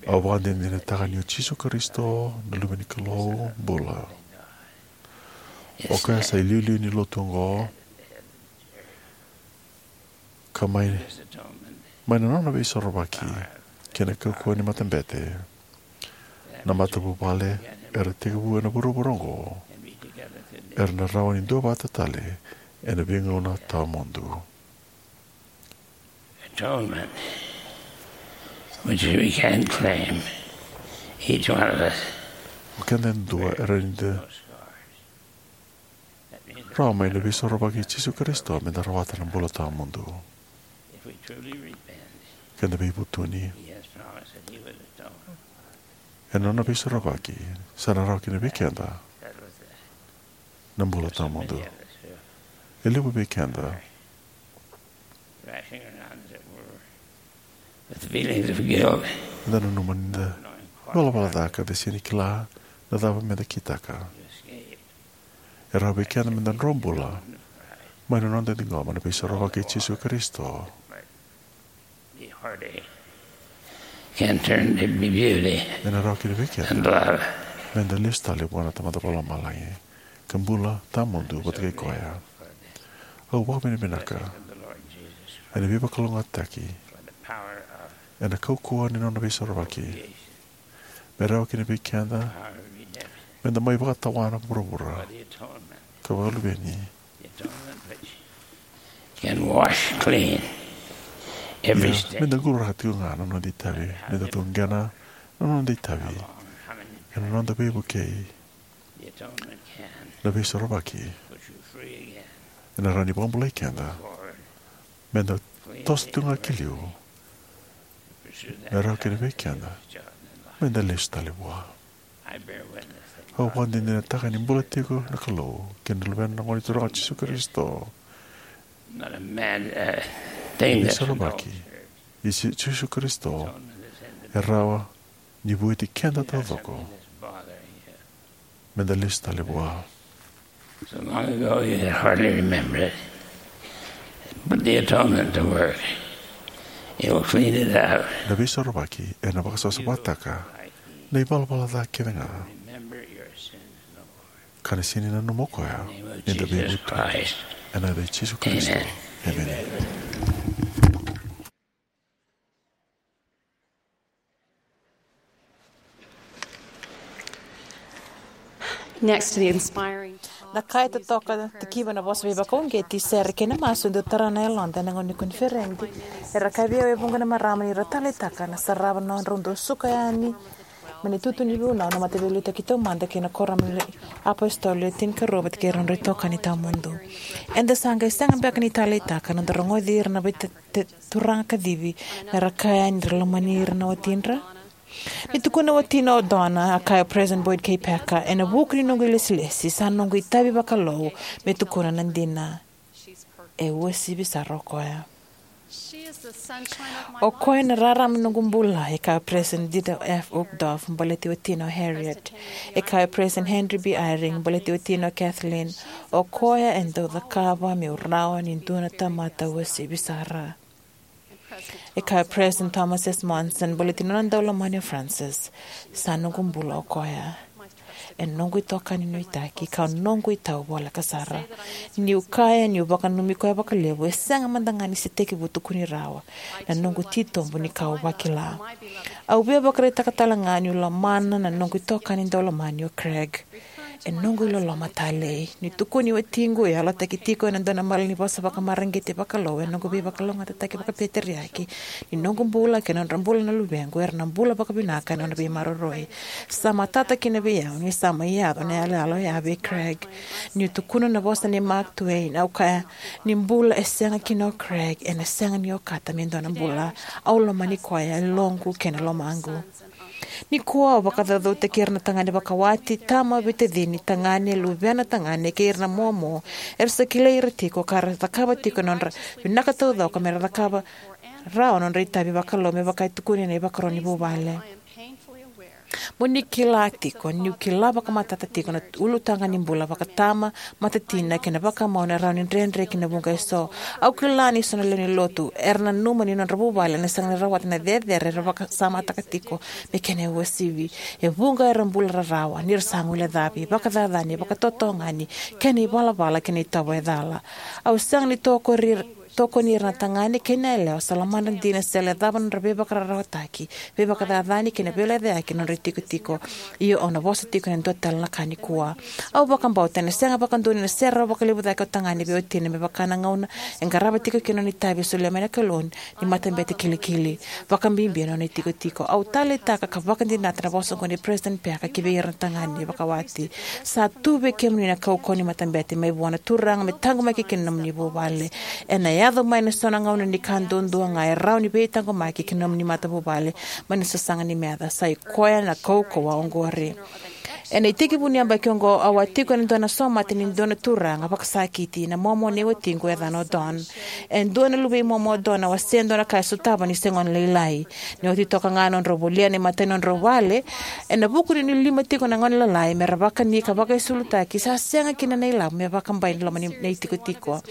Au vakadinadinataka ni o Jisu Karisito na Luve ni Kalou bula. O koya sa iliuliu ni lotu oqo, ka mai, mai na nona veisorovaki kei na kaukauwa ni matabete, na matavuvale era tekivu ena vuravura oqo era na rawa ni duavata tale ena veigauna tawamudu. Atonement, which we can't claim, each one of us. O keda yadua era ni da rawa mai na veisorovaki i Jisu Karisito me da rawata na bula tawamudu. If we truly repent, keda veivutuni, he has promised that he would atone. Ena nona veisorovaki, sa na rawa kina vei keda na bula tawamudu. E levu vei keda, rushing around, as it were, with feelings of guilt, eda nanuma ni da ivalavala ca ka da sega ni kila na cava meda kitaka. E rawa vei keda meda dro bula mai na noda ciqoma na veisorovaki i Jisu Karisito. Ena rawa kina vei keda meda lesu tale vua na Tamada Vakalomalagi ka bula tawamudu vata kei koya. Au vakavinavinaka ena veivakalougatataki ena kaukauwa ni nona veisorovaki. Me rawa kina vei keda meda mai vakatawana vuravura ka vakaluveni. Can wash clean every stain. Meda quraka tiko ga na noda itavi, meda tuqena na noda itavi ena noda veivukei. Na veisorovaki ena rawa ni vakabulai keda meda toso tiko ga ki liu. Me rawa kina vei keda meda lesu tale vua. Au vakadinadinataka ni bula tiko na Kalou kei na Luvena na Gone Turaga o Jisu Karisito. Veisorovaki i Jisu Karisito e rawa ni vueti keda taucoko meda lesu tale vua. So long ago you can hardly remember it. Put the atonement to work. It will clean it out. Na veisorovaki ena vakasavasavataka na ivalavala ca kece ga. Remember your sins no more. Ka na sega ni nanuma o koya ni da veivutuni. Ena yaca i Jisu Karisito. Emeni. Na ka e totoka tikiva na vosa veivakauqeti, sere kei na masu e dau tara na yaloda ena gauna ni koniferedi. Era kaya vei au e vuqa na marama ni ra taleitaka na sarava na nodrau dau suka yani mai na itutu ni vunau na Mataveiliutaki Taumada kei na Kuoramu ni iApositolo Le Tinikarua vata kei ira na nodrau itokani tawamudu. Eda sa qai sega beka ni taleitaka na noda rogoci ira na vei te, te turaga kacivi me ra kaya ni ra lomani ira na watidra? Ni tukuna o watina o Donna, a kaya o President Boyd K. Packer, ena vuku ni noqu ilesilesi, sa noqu itavi vakalou me tukuna na dina. E uasivi sara o koya. O koya na rarama ni noqu bula, e kaya o President Dieter F. Uchtdorf, baleti watina o Harriet. E kaya o President Henry B. Eyring, baleti watina o Kathleen. O koya e dau cakava meu rawa ni dua na tamata uasivi sara. E kaya o President Thomas S. Monson, baleti nona daulomani o Frances, sa noqu bula o koya. E noqu itokani nuitaki, ka noqu itau voleka sara. Niu kaya niu vakananumi koya vakalevu, e sega mada ga ni se tekivu tukuni rawa na noqu titobu ni kau vakila. Au via vakaraitaka tale ga niu lomana na noqu itokani daulomani o Craig. E noqu iloloma talei. Ni tukuni watiqu, e yalataki tiko ena dua na malanivosa vakamareqeti vakalou, e noqu veivakalougatataki vakapeteriaki ni noqu bula kei na nodra bula na luvequ, era na bula vakavinaka ena nona veimaroroi. Sa matata kina vei au ni sa mai yaco na iyaloyalo oya vei Craig. Niu tukuna na vosa nei Mark Twain, au kaya, ni bula e sega kina o Craig, ena sega ni okata me dua na bula. Au lomani koya, e loqu kei na lomaqu. Nikua au vakacaucautaki ira na tagane vakawati, tama, veitacini, tagane, luvena tagane kei ira na momo era sa kilai ira tiko ka ra cakava tiko na nodra vinaka taucoko me ra cakava rawa na nodra itavi vakalou me vaka e tukuni ena ivakaro ni vuvale. Mo ni kila tiko niu kila vakamatata tiko na ulutaga ni bula vakatama, matatina kei na vakamau ena rawa ni dredre ki na vuqa eso. Au kila ni so na lewe ni lotu era nanuma ni nodra vuvale ena sega ni rawata na cecere era vakasamataka tiko me kena uasivi. E vuqa era bula rarawa ni ra sa guilecavi, vakacacani, vakatotogani, kei na ivalavala kei na itovo e cala. Au sega ni tokori tokoni ira na tagane kei na yalewa sa lomadra dina se lecava na nodra veivakararawataki, veivakacacani kei na veilecayaki na nodra itikotiko. Io, au na vosa tiko ena dua tale na ka nikua. Au vakabauta ena sega vakadua ni na serau vakalevu cake o tagane vei watina me vaka na gauna e qarava tiko kina nona itavi e solia mai na Kalou ni matabete kilikili. Vakabibi ena nona itikotiko. Au taleitaka ka vakadinata na vosa oqo nei President Packer ki vei ira na tagane vakawati. Sa tu vei kemuni na kaukauwa ni matabete mai vua na Turaga me taqomaki kina na nomuni vuvale. Ena yaco mai ena so na gauna ni ka duadua ga e rawa ni veitaqomaki ki na nomuni matavuvale mai na sasaga ni meca. Sa i koya na kaukauwa oqori. Ena itekivu ni yabaki oqo au a tiko ena dua na somate ni dua na turaga vakasakiti, na momo nei watiqu e yacana o Don. E dua na luvei momo o Don a wasea e dua na ka e sotava ni se gone lailai. Ni oti toka ga nodrau volia na imatai ni nodrau vale, ena vuku ni lima tiko na gone lalai me ra vakani ka vakaisulutaki, sa sega kina na ilavo me vakabai na loma ni na itikotiko.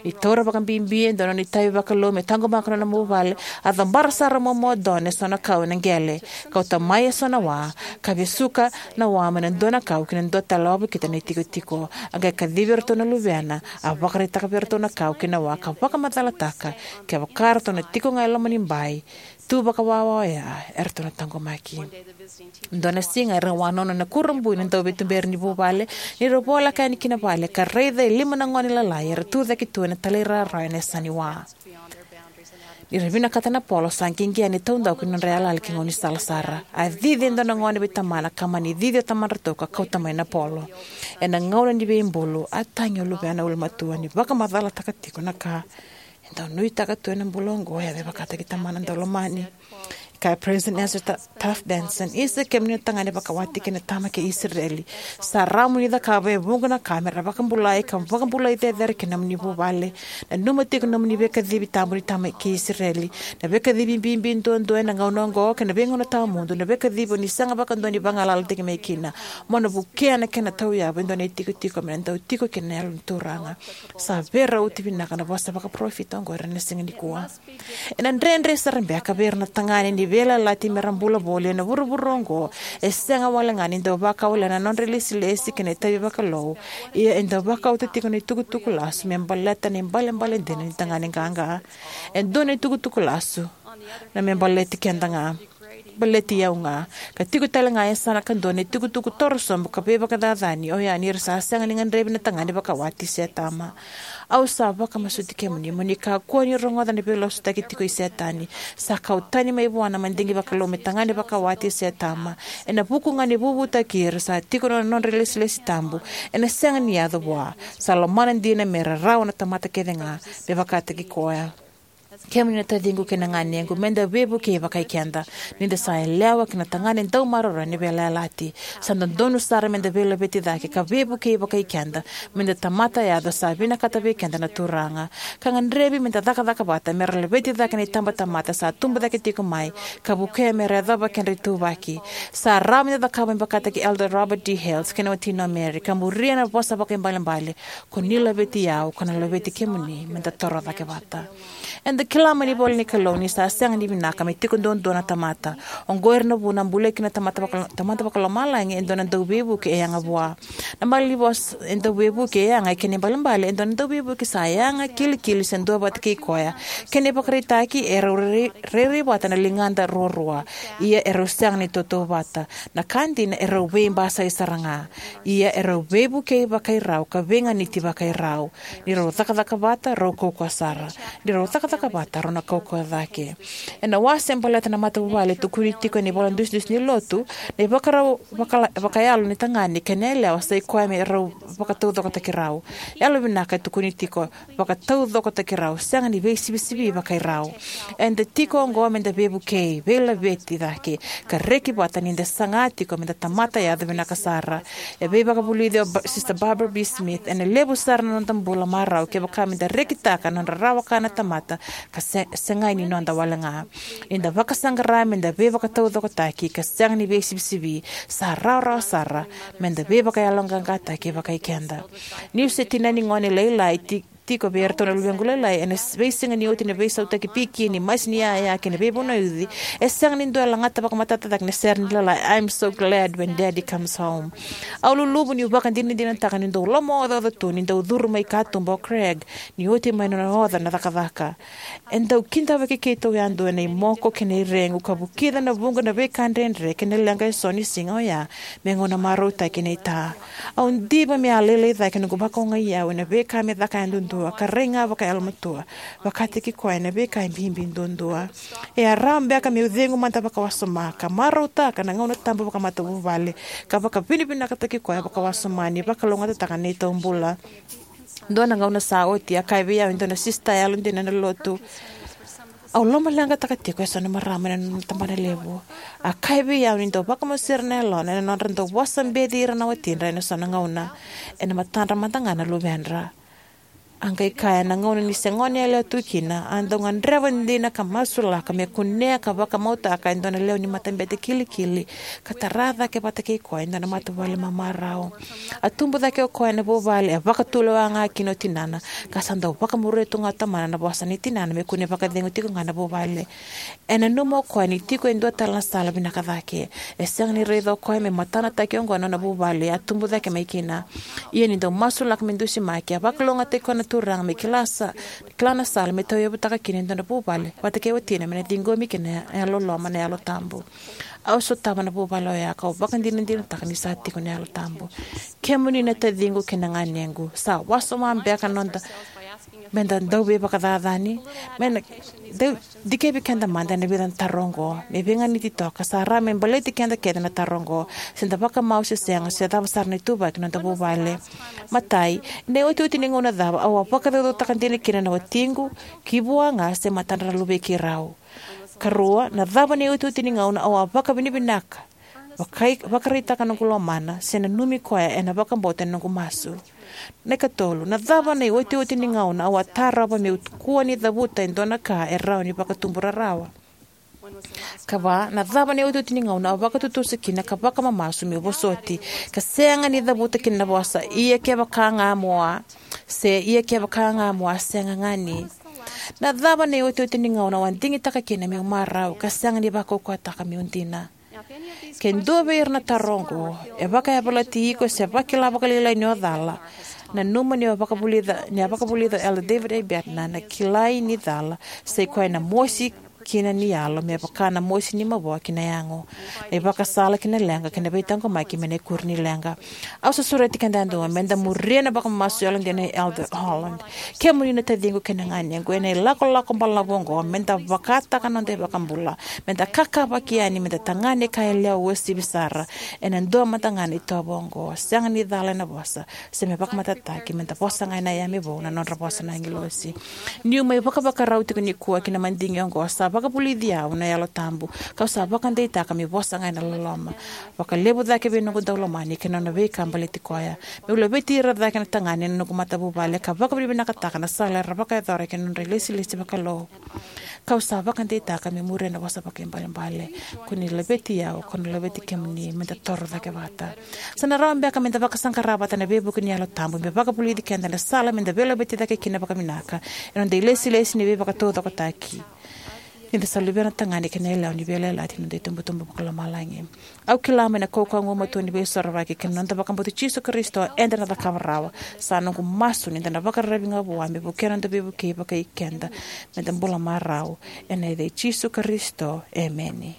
Ni taura vakabibi e dua na nona itavi vakalou me taqomaka na nona vuvale, a cabara sara o momo o Don e so na kau ena qele, kauta mai e so na wa, ka vesuka na wa mai na dua na kau ki na dua tale wavokita na itikotiko. A qai kacivi iratou na luvena, a vakaraitaka vei iratou na kau kei na wa ka vakamacalataka, kevaka ratou na tiko ga e loma ni bai, tu vakawawa oya, eratou na taqomaki. Dua na siga era wanono na kurabui na dauveituberi ni vuvale, ni ra voleka yani ki na vale ka raica e lima na gone lalai era tu cake tu ena talairawarawa ena yasa ni wa. Ni ra vinakata na polo, sa qiqi yani e taudaku ni nodra yalayala ki gaunisala sara. A cici e dua na gone vei tamana ka mani cici o tamadratou ka kauta mai na polo. Ena gauna ni veibulu, a tagi o luvena ulumatua ni vakamacalataka tiko na ka e dau nuitaka tu ena bula oqo, e a me vakataki tamana daulomani. Kaya President Ezra Ta- Taft Benson, isa kemuni na tagane vakawati kei na tama kei Isireli, sa rawa mo ni cakava e vuqa na ka me ra vakabulai ka vakabulai cecere kina nomuni vuvale. Nanuma tiko na nomuni veikacivi tabu ni tama kei Isireli, na veikacivi bibi duadua ena gauna oqo kei na veigauna tawamudu, na veikacivi o ni sega vakadua ni vagalalataki mai kina. Mo na vukea na kena tauyavu e dua na itikotiko me na dau tiko kina na Yalo ni Turaga. Sa veirauti vinaka na vosa vakaparofita oqori ena siga nikua. Ena dredre sara beka vei ira na tagane ni veiyalayalati me ra bula voli ena vuravura oqo, e sega wale ga ni dau vakawalena na nodra ilesilesi kei na itavi vakalou, ia e dau vakauta tiko na itukutuku lasu me baleta na ibalebale dina ni tagane qaqa. E dua na itukutuku lasu na me baleti keda ga, baleti au ga, ka tiko tale ga e yasana kadua na itukutuku toro sobu ka veivakacacani, oya ni ra sa sega ni gadrevi na tagane vakawati se tama. Au sa vakamasuti kemuni mo ni kakua ni rogoca na veilasutaki tiko i Setani. Sa kau tani mai vua na madigi vakalou me tagane vakawati se tama. Ena vuku ga ni vuvutaki ira sa tiko na nodra ilesilesi tabu, ena sega ni yaco vua. Sa lomana dina me rarawa na tamata kece ga, me vakataki koya. Kemuni na taciqu kei na ganequ, me da veivukei vakai keda ni da sa yalewa kei na tagane dau maroroi ni veiyalayalati. Sa dodonu sara me da veilaveti cake ka veivukei vakai keda, me da tamata yaco sa vinakata vei keda na Turaga. Ka gadrevi me da cakacaka vata me ra laveti cake na itabatamata sa tubu cake tiko mai, ka vukea me ra yacova kedra ituvaki. Sa rawa me da cakava me vakataki Elder Robert D. Hales kei na watina o Mary, ka muria na vosa vakaibalebale: Ko ni laveti au, kau na laveti kemuni, me da toro cake vata. Eda Kila mai na ivolanikalou ni sa sega ni vinaka me tiko duadua na tamata. Oqori na vuna a bulia kina na Tamada Vakalomalagi e dua na dauveivuke e yaga vua. Na malanivosa e dauveivuke e yaga e kena ibalebale e dua na dauveivuke sa yaga, kilikili, se duavata kei koya. Kena ivakaraitaki, e rau rairai vata na ligada ruarua, ia e rau sega ni tautauvata. Na ka dina, e rau veibasai sara ga, ia e rau veivukei vakairau ka veiganiti vakairau. Ni rau cakacaka vata, rau kaukauwa sara. Ni rau cakacaka vata, rau na kaukauwa cake. Ena wase baleta na matavuvale e tukuni tiko ena ivola dusidusi ni lotu, na ivakarau vakayalo ni tagane kei na yalewa sa ikoya me rau vakataucokotaki rau. Yalovinaka e tukuni tiko, vakataucokotaki rau, sega ni veisivisivi vakairau. Eda tiko oqo meda veivukei, veilaveti cake, ka reki vata ni da saga tiko meda tamata yaco vinaka sara. E veivakavulici o Sister Barbara B. Smith: ena levu sara na noda bula marau kevaka meda rekitaka na nodra rawa-ka na tamata ka segai ni noda wale ga. Ni da vakasaqara meda veivakataucokotaki ka sega ni veisivisivi, sa rawarawa sara meda veivakayaloqaqataki vakaikeda. Niu se tinani gone lailai tiko vei iratou na luvequ lailai ena veisiga ni oti na veisautaki piki ni masi ni yaya kei na veivunauci, e sega ni dua e lagata vakamatata cake na sere ni lailai I'm So Glad When Daddy Comes Home. Au luluvu niu vakadinadinataka ni dau lomaocaoca tu ni dau curu mai katuba o Craig ni oti mai nona oca na cakacaka. E dau kidavaki keitou yadua ena imoko kei na iregu ka vukica na vuqa na veika dredre kei na leqa eso ni siga oya me gauna marautaki nei Ta. Au diva me a lailai cake noqu vakaogai au ena veika me caka yadudua ka rai ga vakayalomatua vakataki koya ena veika e bibi duadua. E a rawa beka meu cegu mada vakawasoma ka marautaka na gauna tabu vakamatavuvale ka vakavinavinakataki koya vakawasoma ni vakalougatataka na neitou bula. Dua na gauna sa oti, a kaya vei au e dua na sisita yalodina ena lotu, au lomaleqataka tiko eso na marama ena nona tabanalevu. A kaya vei au ni dau vakamosira na yalona ena nodra dau vosa beci ira na watidra ena so na gauna ena matadra mada ga na luvedra. A qai kaya, na gauna ni se gone yalewa tu kina, a dau gadreva dina ka masulaka me kunea ka vakamautaka e dua na lewe ni matabete kilikili ka tara cake vata kei koya e dua na matavuvale mamarau. A tubu cake o koya ena vuvale e vakatulewa ga kina o tinana, ka sa dau vakamuria tu ga o tamana na vosa nei tinana me kua ni vakacegu tiko ga na vuvale. E nanuma o koya ni tiko e dua tale na sala vinaka cake. E sega ni raica o koya me matanataki oqo na nona vuvale a tubu cake mai kina. Ia ni dau masulaka me dusimaki, a vakalougatataki koya na Turaga me kila sa kila na sala me tauyavutaka kina e dua na vuvale vata kei watina me na ciqomi kina na yalololoma, na Yalo Tabu. Au sotava na vuvale oya kau vakadinadinataka ni sa tiko na Yalo Tabu. Kemuni na taciqu kei na ganequ, sa wasoma beka noda meda dau veivakacacani, meda dau dikevi keda mada ena vica na taro oqo me veiganiti toka. Sa rawa me baleti keda kece na taro oqo, se da vakamau se sega, se cava sara na ituvaki ni noda vuvale. Matai, ena iotioti ni gauna cava au a vakacaucautaka dina kina na watiqu ki vua ga se matadra na luvei keirau? Karua, na cava na iotioti ni gauna au a vakavinavinaka, vakaraitaka noqu lomana, se nanumi koya ena vakabauta na noqu masu? Na ikatolu, na cava na iotioti ni gauna au a tarova meu kua ni cavuta e dua na ka e rawa ni vakatubu rarawa? Kava, na cava na iotioti ni gauna au vakatutusa kina ka vakamamasu meu vosoti ka sega ni cavuta kina na vosa ia kevaka ga mo a, se ia kevaka ga mo a sega ga ni? Na cava na iotioti ni gauna au a digitaka kina meu marau ka sega ni vakaukauwataka meu dina? Ke dua vei ira na taro oqo e vakayavalati iko se vakila vakalailai ni o cala, nanuma ni a vakavulica o Elder David A. Bednar, na kilai ni cala sa ikoya na mosi kina ni yalo me vaka na mosi ni mavoa ki na yago, na ivakasala ki na leqa kei na veitaqomaki mai na ikuri ni leqa. Au sa sureti keda yadua meda muria na vakamamasu yalodina nei Elder Holland. Kemuni na taciqu kei na ganequ, ena ilakolako balavu oqo meda vakataka noda iVakabula, meda kakavaki yani, meda tagane ka yalewa uasivi sara ena dua mada ga na itovo oqo. Sega ni cala ena vosa se me vakamatatataki, meda vosa ga ena yame vou na nodra vosa na agilosi. Niu mai vakavakarau tiko nikua ki na madigi oqo, sa vakavulici au na Yalo Tabu, kau sa vakadeitaka meu vosa ga ena loloma vakalevu cake vei noqu daulomani kei na nona veika baleti koya. Meu laveti ira cake na tagane ena noqu matavuvale ka vakavinavinakataka na sala era vakayacora kei na nodra ilesilesi vakalou. Kau sa vakadeitaka me muria na vosa vakaibalebale. Ko ni laveti au, kau na laveti kemuni, meda toro cake vata. Sa na rawa beka meda vakasaqara vata na veivuke ni Yalo Tabu, me vakavulici keda na sala meda veilaveti cake kina vakavinaka ena noda ilesilesi ni veivakataucokotaki, ni da sa luvena tagane kei na yalewa ni veiyalayalati ni noda itubutubu vakalomalagi. Au kila mai na kaukauwa gugumatua ni Veisorovaki kei na noda vakabauti Jisu Karisito, eda na cakava rawa. Sa noqu masu ni da na vakararavi ga vua me vukea na noda veivukei vakai keda, meda bula marau. Ena yaca i Jisu Karisito, emeni.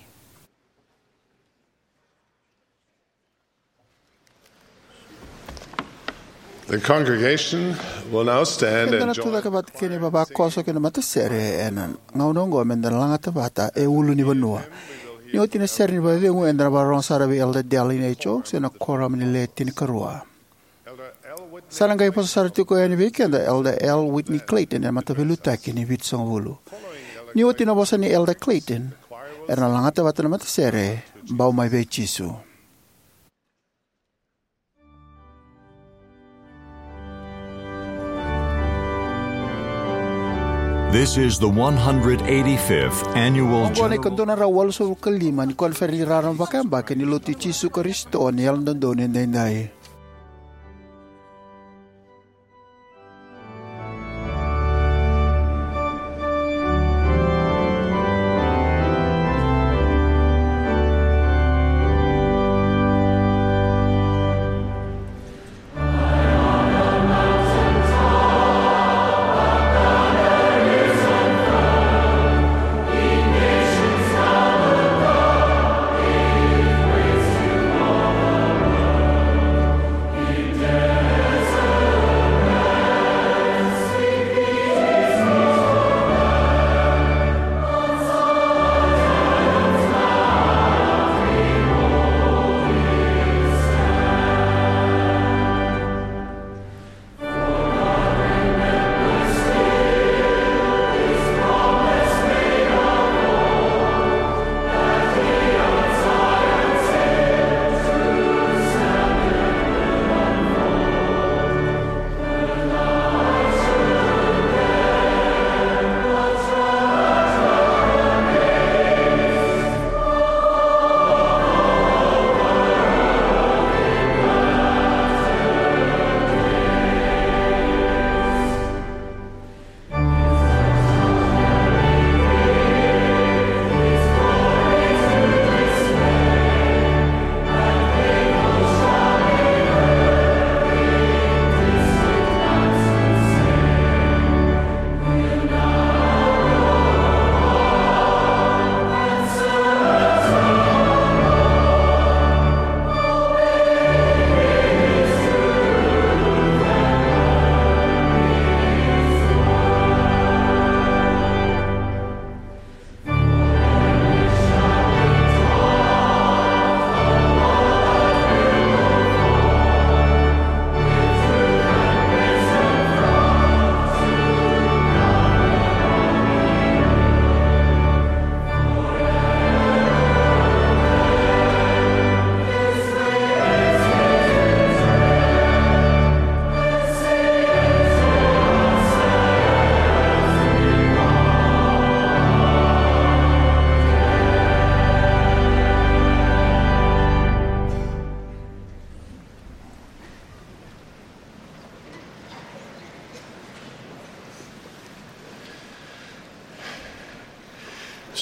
The congregation will now stand. Eda and na join tucake vata kei na ivavakoso kei na matasere ena gauna oqo, meda na lagata vata e ulunivanua. Ni oti na sere ni vakacegu, eda na vakarorogo sara vei Elder Dallin H. Oaks ena korama ni Le Tinikarua. Sa na qai vosa sara tiko yani vei keda Elder L. Whitney Clayton, ena mataveiliutaki ni Vitusagavulu. Ni oti na vosa nei Elder Clayton, era na lagata vata na matasere, Bau Mai Vei Jisu. This is the one hundred eighty-fifth annual Oqo na general ikadua na drau walusagavulu ka lima ni koniferedi raraba vakayabaki ni Lotu i Jisu Karisito ni Yalododonu Edaidai.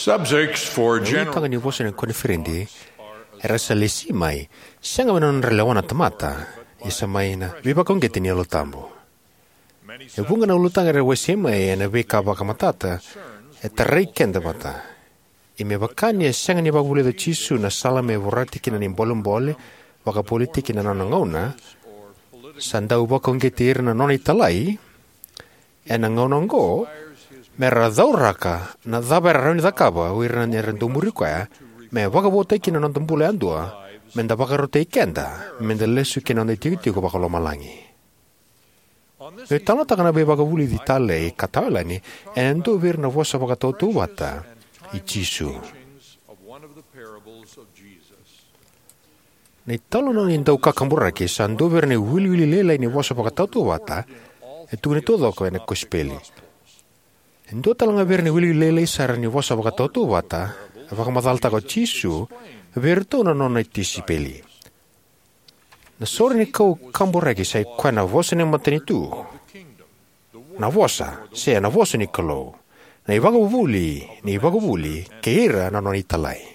Subjects for Na general ulutaga ni vosa ni koniferedi era sa lesi mai, sega me na nodra lewa na tamata, ia sa mai na veivakauqeti ni Yalo Tabu. E vuqa na ulutaga era wasei mai ena veika vakamatata e tarai keda vata. Ia me vaka ni a sega ni vakavulica o Jisu na sala me vorati kina na ibolebole vakapolitiki na nona gauna, sa dau vakauqeti ira na nona italai ena gauna oqo me ra cauraka na cava era rawa ni cakava o ira era dau muri koya, me vakavotai kina na noda bula yadua, me da vakarautaki keda me da lesu ki na noda itikotiko vakalomalagi. Meu talanoataka na veivakavulici talei ka tawayalani ena dua vei ira na vosa vakatautauvata i Jisu. Na italanoa ni dau kakaburaki sa dua vei ira na iwiliwili lailai ni vosa vakatautauvata e tukuni taucoko ena kosipeli. E dua tale ga vei ira na wiliwili lailai sara ni vosa vakatautauvata, e vakamacalataka o Jisu vei iratou na nona tisaipeli. Na sorenikau kaburaki sa i koya na vosa ni matanitu, na vosa, se na vosa ni Kalou, na ivakavuvuli ni ivakavuvuli, kei ira na nona italai.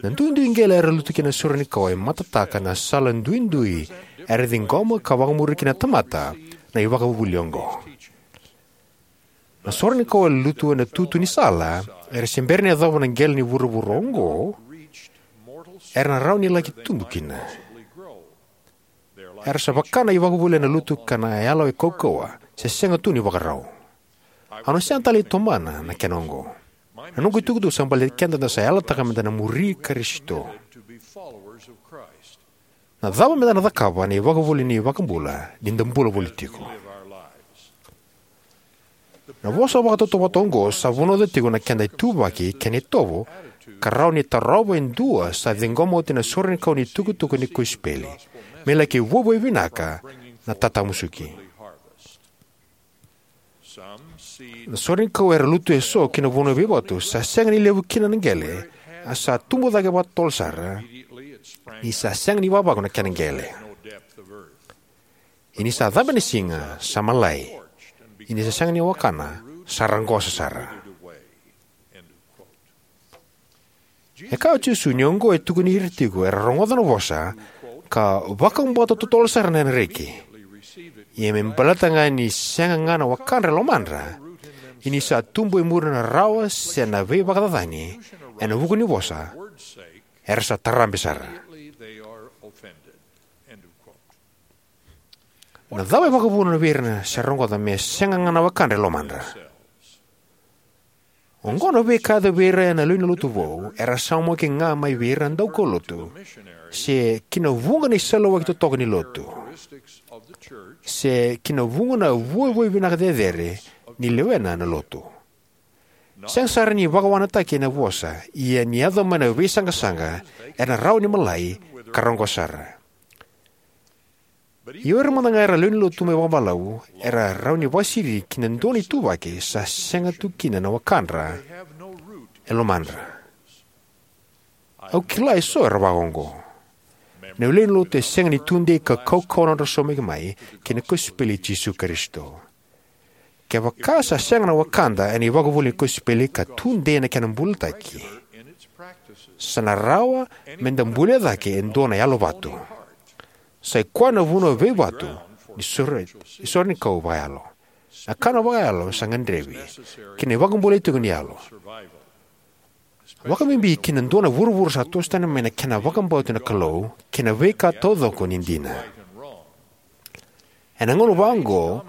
Na duidui qele era lutu kina na sorenikau e matataka na sala duidui era ciqoma ka vakamuri kina na tamata na ivakavuvuli oqo. Na sorenikau era lutu ena tutu ni sala era se bera ni yacova na qele ni vuravura oqo era na rawa ni laki tubu kina. Era sa vaka na ivakavuvuli ena lutu ka na yalo e kaukauwa, se sega tu ni vakarau. Au na sega tale ni tomana na kena oqo. Na noqu itukutuku sa baleti keda da sa yalataka meda na muri Karisito. Na cava meda na cakava na ivakavuvuli ni iVakabula ni da bula voli tiko? Na vosa vakatautauvata oqo sa vunauca tiko na keda ituvaki kei na itovo ka rawa ni tarova e dua sa ciqoma oti na sorenikau ni tukutuku ni kosipeli me laki vuavuai vinaka na tatamusuki. Na sorenikau era lutu eso ki na vanua veivatu sa sega ni levu kina na qele, a sa tubu cake vakatotolo sara, ni sa sega ni vavaku na kena qele. Ia ni sa cabe na siga, sa malai. Ia ni sa sega ni wakana, sa raqosa sara. E kaya o Jisu ni oqo e tukuni ira tiko era rogoca na vosa ka vakabauta totolo sara na reki. Ia me baleta ga ni sega ga na wakadra e lomadra, ia ni sa tubu e muri na rarawa se na veivakacacani ena vuku ni vosa, era sa tarabe sara. Na cava e vakavuna vei ira na sa rogoca me sega ga na wakadra e lomadra? Oqo na veika e yaco vei ira na lewe ni lotu vou era saumaki ga mai vei ira na daukaulotu, se ki na vuqa na isaluwaki totoka ni lotu, se ki na vuqa na vuavuai vinaka cecere ni lewena na lotu. Sega sara ni vakawakanataki ena vosa, ia ni yaco mai na veisaqasaqa, era na rawa ni malai ka raqosa sara. Ia o ira mada ga era lewe ni lotu mai vakabalavu era rawa ni vakasiri ki na dua na ituvaki sa sega tu kina na wakadra e lomadra. Au kila eso era vakaoqo. Na lewe ni lotu e sega ni tudei ka kaukauwa na nodra saumaki mai ki na kosipeli i Jisu Karisito. Kevaka sa sega na wakada ena ivakavuvuli ni kosipeli ka tudei ena kena bulataki, sa na rawa meda bulia cake e dua na yalovatu. Sa i koya na vanua veivatu ni sore, ni sorenikau vakayalo. Na kana vakayalo sa gadrevi ki na ivakabulai tiko ni yalo, vakabibi ki na dua na vuravura sa toso tani mai na kena vakabauti na Kalou kei na veika taucoko ni dina. Ena gauna vaqo,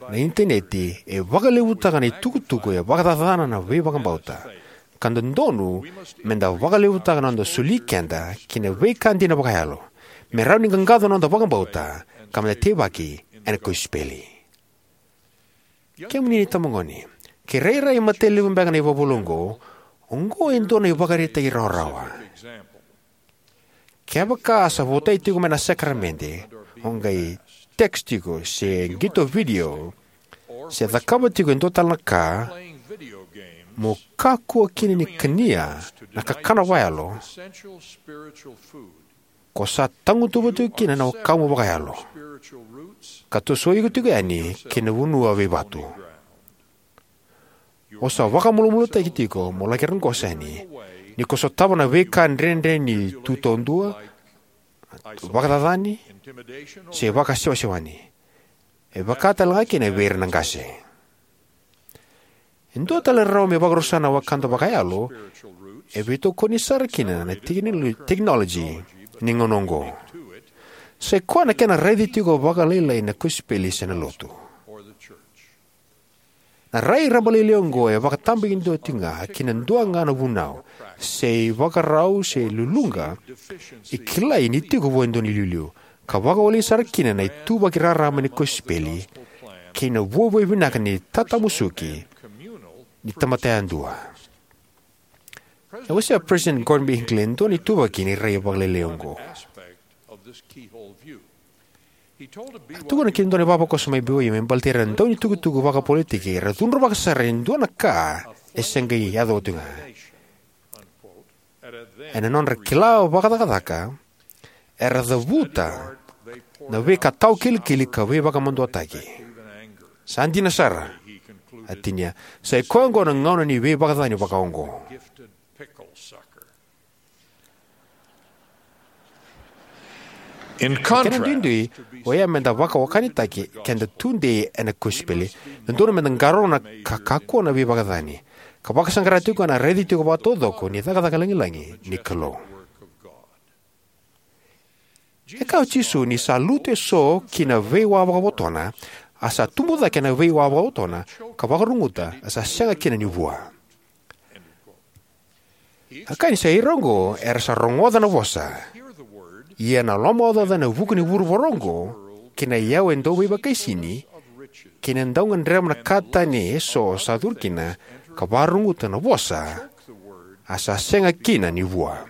na initaneti e vakalevutaka na itukutuku e vakacacana na veivakabauta, ka dodonu meda vakalevutaka na noda soli keda ki na veika dina vakayalo me rawa ni qaqaco na noda vakabauta ka meda teivaki ena kosipeli. Kemuni na itabagone, ke rairai matailevu beka na ivakavuvuli oqo, oqo e dua na ivakaraitaki rawarawa. Kevaka sa votai tiko mai na sakaramede, o qai text tiko, se qito video, se cakava tiko e dua tale na ka, mo kakua kina ni kania na kakana vakayalo ko sa tagutuva tiko kina na wakamu vakayalo, ka toso iko tiko yani ki na vanua veivatu. O sa vakamalumalumutaki tiko mo laki raqosa yani ni ko sotava na veika dredre ni tu taudua, vakacacani, se vakasewasewani. E vaka tale ga kina vei ira na qase. E dua tale na rarawa me vakarusa na wakada vakayalo e veitokoni sara kina na tekinolo-, tekinoloji ni gauna oqo. Sa i koya na kena raici tiko vakalailai na kosipeli se na lotu. Na rai rabalailai oqo e vakatabakidua tiko ga ki na dua ga na vunau, se ivakarau se luluqa e kilai ni tiko vua e dua na iliuliu, ka vakawaleni sara kina na ituvaki raraba ni kosipeli kei na vuavuai vinaka ni tatamusuki ni tamata yadua. E wasea President Gordon B. Hinckley e dua na ituvaki ni rai vakalailai oqo. A tukuna ki na dua na ivavakoso mai B Y U me baleti ira na daunitukutuku vakapolitiki era cudruvaka sara e dua na ka e se qai yaco oti ga. Ena nodra kila vakacakacaka, era cavuta na veika tawakilikili ka veivakamaduataki. Sa dina sara, a tinia, sa i koya oqo na gauna ni veivakacacani vakaoqo. Ena duidui, oya meda vakawakanitataki keda tudei ena kosipeli, dodonu meda qarauna ka kakua na veivakacacani, ka vakasaqara tiko ena raici tiko vakataucoko ni cakacaka lagilagi ni Kalou. E kaya o Jisu ni sa lutu eso ki na veiwa vakavotona, a sa tubu cake ena veiwa vakavotona, ka vakaruguta, a sa sega kina ni vua. A kaya ni sa ira oqo era sa rogoca na vosa, ia na lomaocaoca ena vuku ni vuravura oqo, kei na iyau e dau veivakaisini, kei na dau gadreva na ka tani eso sa curu kina, ka vakaruguta na vosa, a sa sega kina ni vua.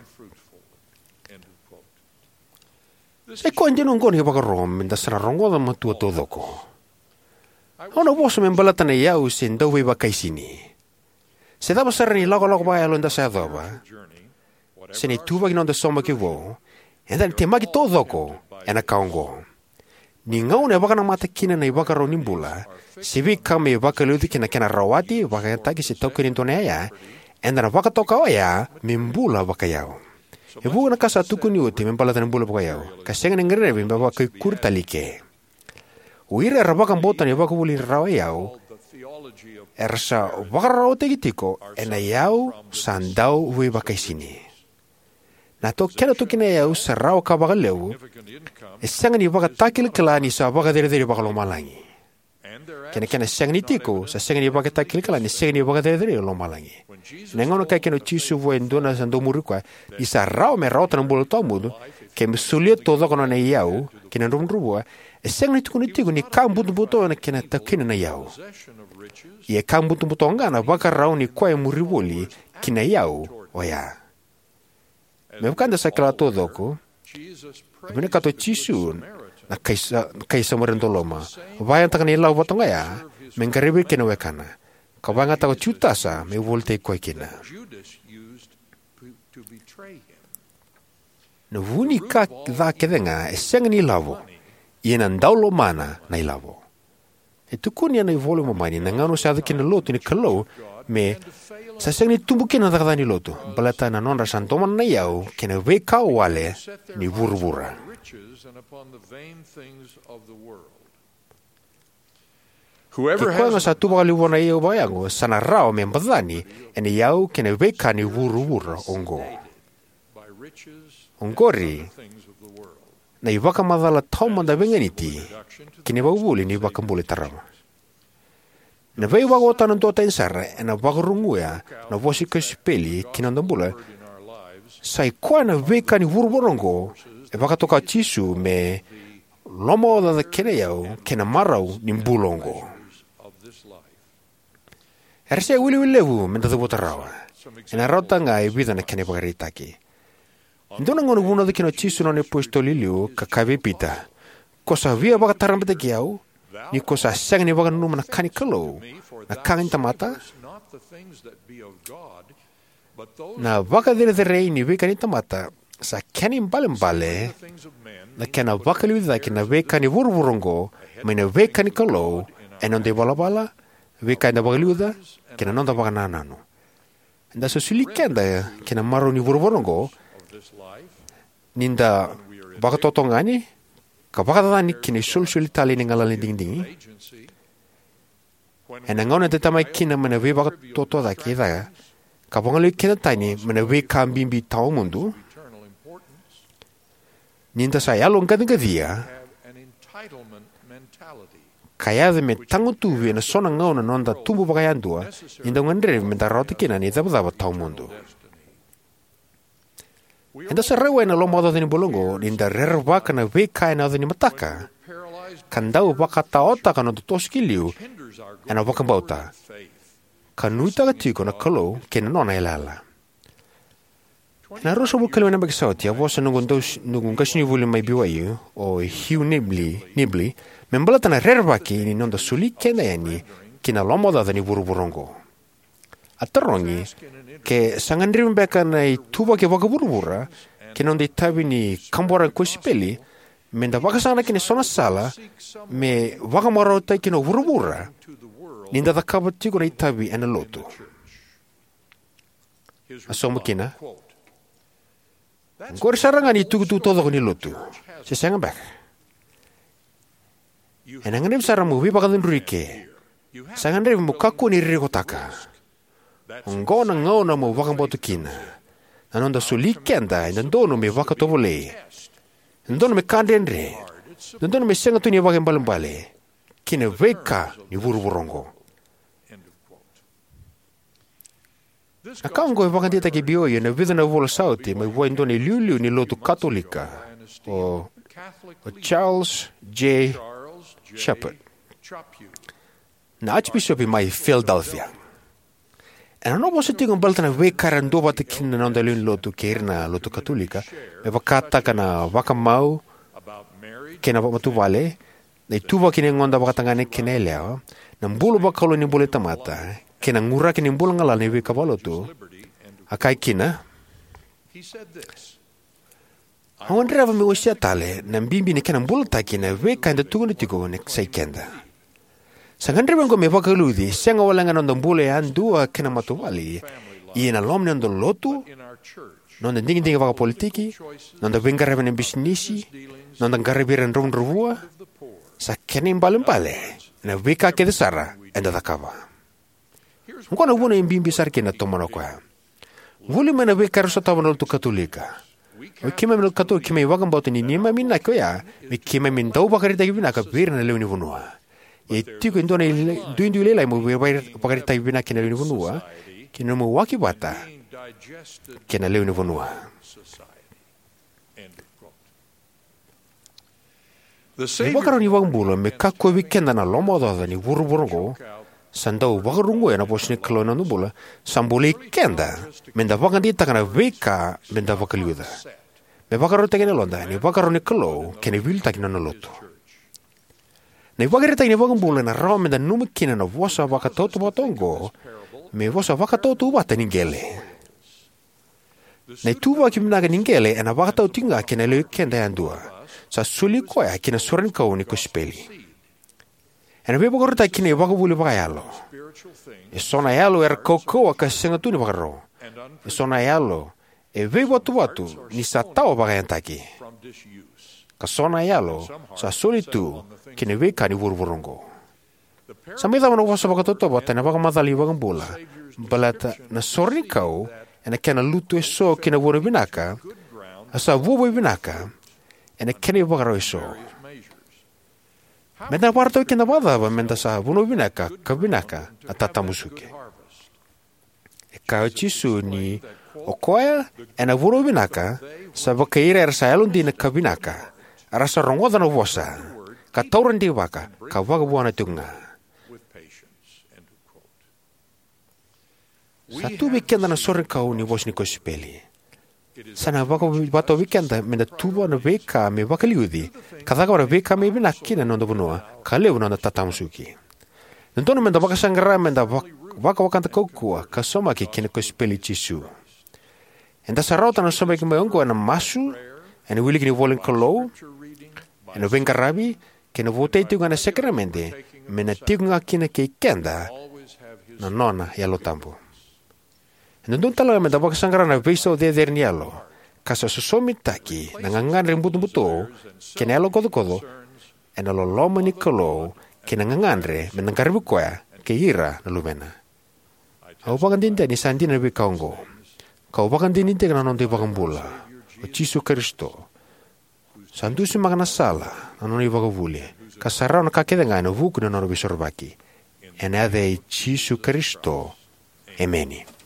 Sa i koya dina oqo na ivakaro meda sa na rogoca matua taucoko. Au na vosa me baleta na iyau se dau veivakaisini. Se cava sara na ilakolako vakayalo eda sa yacova, se na ituvaki ni noda saumaki vou, eda na temaki taucoko ena ka oqo. Ni gauna e vakanamata kina na ivakarau ni bula, se veika me vakaliuci kei na kena rawati, vakayagataki se taukeni e dua na iyaya, eda na vakatoka oya me bula vakaiyau. E vuqa na ka sa tukuni oti me baleta na bula vakaiyau, ka sega ni gadrevi me vakaikuri tale i ke. O ira era vakabauta na ivakavuvuli ni rarawa iyau, era sa vakararawataki tiko ena iyau sa dau veivakaisini. Na to kena toki na iyau sa rawa ka vakalevu, e sega ni vakatakilakila ni sa vakacerecerei vakalomalagi. Kei na kena sega ni tiko, sa sega ni vakatakilakila ni sega ni vakacerecerei lomalagi. Ena gauna kaya kina o Jisu vua e dua na sa dau muri koya, ni sa rawa me rawata na bula tawamudu, ke me solia taucoko na nona iyau ki na dravudravua, e sega ni tukuni tiko ni ka butobuto na kena taukena na iyau. Ia e ka butobuto ga na vakarau ni koya e muri voli ki na iyau oya. Me vaka eda sa kila taucoko, e vinakata o Jisu na kai sa-, na kai Samaria doloma, vakayagataka na ilavo vata oya me qaravi kina na wekana, ka vakayagataka o Jutasa me volitaki koya kina. Na vu ni ka ca kece ga e sega ni ilavo, ia na dau lomana na ilavo. E tukuni ena iVola i Momani na gauna sa yaco kina na lotu ni Kalou me sa sega ni tubu kina na cakacaka ni lotu, baleta na nodra sa domona na iyau kei na veika wale ni vuravura. Ke koya ga sa tu vakalevu vua na iyau vakayago, sa na rawa me bacani ena iyau kei na veika ni vuravura oqo. Oqori na ivakamacala taumada veiganiti ki na ivakavuvuli ni iVakabula e tarava. Na veivakawatana duatani sara ena vakaruguya na vosa ni kosipeli ki na noda bula, sa i koya na veika ni vuravura oqo e vakatoka o Jisu me lomaocaoca kei na iyau kei na marau ni bula oqo. Era se iwiliwili levu meda cavuta rawa. Ena rawata ga e vica na kena ivakaraitaki. E dua na gauna vunauca kina o Jisu na nona iApositolo e liu ka kaya vei Pita, "Ko sa via vakatarabaitaki au, ni ko sa sega ni vakananuma na ka ni Kalou, na ka ga ni tamata?" Na vakacerecerei ni veika ni tamata sa kena ibalebale na kena vakaliuci cake na veika ni vuravura oqo mai na veika ni Kalou ena noda ivalavala, veika eda vakaliuca, kei na noda vakanananu. Eda sa soli keda ki na marau ni vuravura oqo ni da vakatotogani ka vakacacani ki na isolisoli talei ni galala ni digidigi. Ena gauna eda temaki kina mai na veivakatotocake cake ka vagolevi keda tani mai na veika bibi tawamudu, ni da sa yaloqaciqacia ka yaco me tagutuvi ena so na gauna na noda tubu vakayadua, ni da gadrevi meda rawata kina na icavacava tawamudu. Eda sa rawai ena lomaocaoca ni bula oqo ni da rerevaka na veika ena yaco ni mataka ka dau vakataotaka na noda toso ki liu ena vakabauta, ka nuitaka tiko na Kalou kei na nona yalayala. Ena ruasagavulu ka lima na yabaki sa oti, a vosa noqu, dau, noqu qasenivuli mai B Y U, o Hugh Nibley, Nibley, me baleta na rerevaki ni noda soli keda yani ki na lomaocaoca ni vuravura oqo. A tarogi ke sa gadrevi beka na ituvaki vakavuravura kei na noda itavi ni kabora na kosipeli me da vakasaqara kina eso na sala me vakamarautaki kina o vuravura ni da cakava tiko na itavi ena lotu. A sauma kina, "Oqori sara ga ni tukutuku taucoko ni lotu, se sega beka? Ena gadrevi sara mo veivakacudrui ike. Sa gadrevi mo kakua ni ririkotaka. Oqo na gauna mo vakabauta kina. Na noda soli keda e dodonu me vakatovolei, e dodonu me ka dredre, e dodonu me sega tu ni vakaibalebale ki na veika ni vuravura oqo." Na ka oqo e vakadeitaki e B Y U ena vica na vula sa oti mai vua e dua na iliuliu ni lotu Katolika, o, o Charles J. Chaput, na Archbishop mai Philadelphia. Ena nona vosa tiko baleta na veika era duavata kina na noda lewe ni lotu kei ira na lotu Katolika, me vakataka na vakamau kei na matavuvale, na ituvaki ni yagoda vakatagane kei na yalewa, na bula vakalou ni bula ni tamata, kei na quraki ni bula galala ni veika vakalotu, a kaya kina, "Au gadreva meu wasea tale na bibi ni kena bulataki na veika eda tukuna tiko ni sa ikeda. Sa gadrevi oqo me vakaliuci, sega walega na noda bula yadua kei na matavuvale, ia ena loma ni noda lotu, noda digidigi vakapolitiki, noda veiqaravi ena bisinisi, noda qaravi ira na dravudravua, sa kena ibalebale ena veika kece sara eda cakava." Oqo na vuna e bibi sara kina, tomana o koya. Vuli mai na veika era sotava na lotu Katolika. O keimami na lotu Katolika, keimami vakabauta ni neimami inaki oya me keimami dau vakaraitaki vinaka vei ira na lewe ni vanua. E tiko e dua na ila-, duidui lailai mo vei-, vei-, vakaraitaki vinaka kei na lewe ni vanua, kei na nomu waki vata kei na lewe ni vanua. Na ivakarau ni iVakabula me kakua vei keda na lomaocaoca ni vuravura oqo, sa dau vakaruguya na vosa ni Kalou ena noda bula, sa bolei keda me da vakadeitaka na veika me da vakaliuca, me vakarautaki na yaloda ena ivakarau ni Kalou kei na veiliutaki ni nona lotu. Na ivakaraitaki ni iVakabula ena rawa me da nanuma kina na vosa vakatautauvata oqo me vosa vakatautauvata ni qele. Na ituvaki vinaka ni qele ena vakatau tiko ga kei na lewe i keda yadua. Sa soli koya ki na sorenikau ni kosipeli. Ena veivakarautaki ki na ivakavuvuli vakayalo. Eso na yalo era kaukauwa ka sega tu ni vakarau. Eso na yalo e veivatuvatu ni sa tawa vakayagataki. Ka so na yalo sa soli tu ki na veika ni vuravura oqo. Sa mai cava na vosa vakatautauvata ena vakamacala ni iVakabula baleta na sorenikau ena kena lutu eso ki na vanua vinaka, a sa vuavuai vinaka ena kena ivakarau eso. Me da vakarautaki keda vakacava me da sa vanua vinaka ka vinaka na tatamusuki? E kaya o Jisu ni o koya ena vanua vinaka sa vakai ira era sa yalodina ka vinaka, era sa rogoca na vosa ka taura deivaka ka vakavuana tiko ga. Sa tu vei keda na sorenikau ni vosa ni kosipeli. Sa na vakavakatau vei keda me da tuva na veika me vakaliuci ka cakava na veika me vinaka kina na noda vanua ka levu na noda tatamusuki. Dodonu me da vakasaqara me da vak-, vakawakada kaukauwa ka saumaki ki na kosipeli i Jisu. Eda sa rawata na saumaki mai oqo ena masu, ena wiliki ni ivola ni Kalou, ena veiqaravi, kei na votai tiko ga ena sakaramede, me na tiko ga kina kei keda na nona Yalo Tabu. E dodonu talega me da vakasaqara na veisau cecere ni yalo, ka sa sosomitaki na gagadre butobuto kei na yalo kocokoco ena loloma ni Kalou kei na gagadre me da qaravi koya kei ira na luvena. Au vakadinadina ni sa dina na veika oqo, kau vakadinadinataka na noda iVakabula, o Jisu Karisito, sa dusimaka na sala na nona ivakavuvuli, ka sa rawa na ka kece ga ena vuku ni nona veisorovaki. Ena yaca i Jisu Karisito, emeni.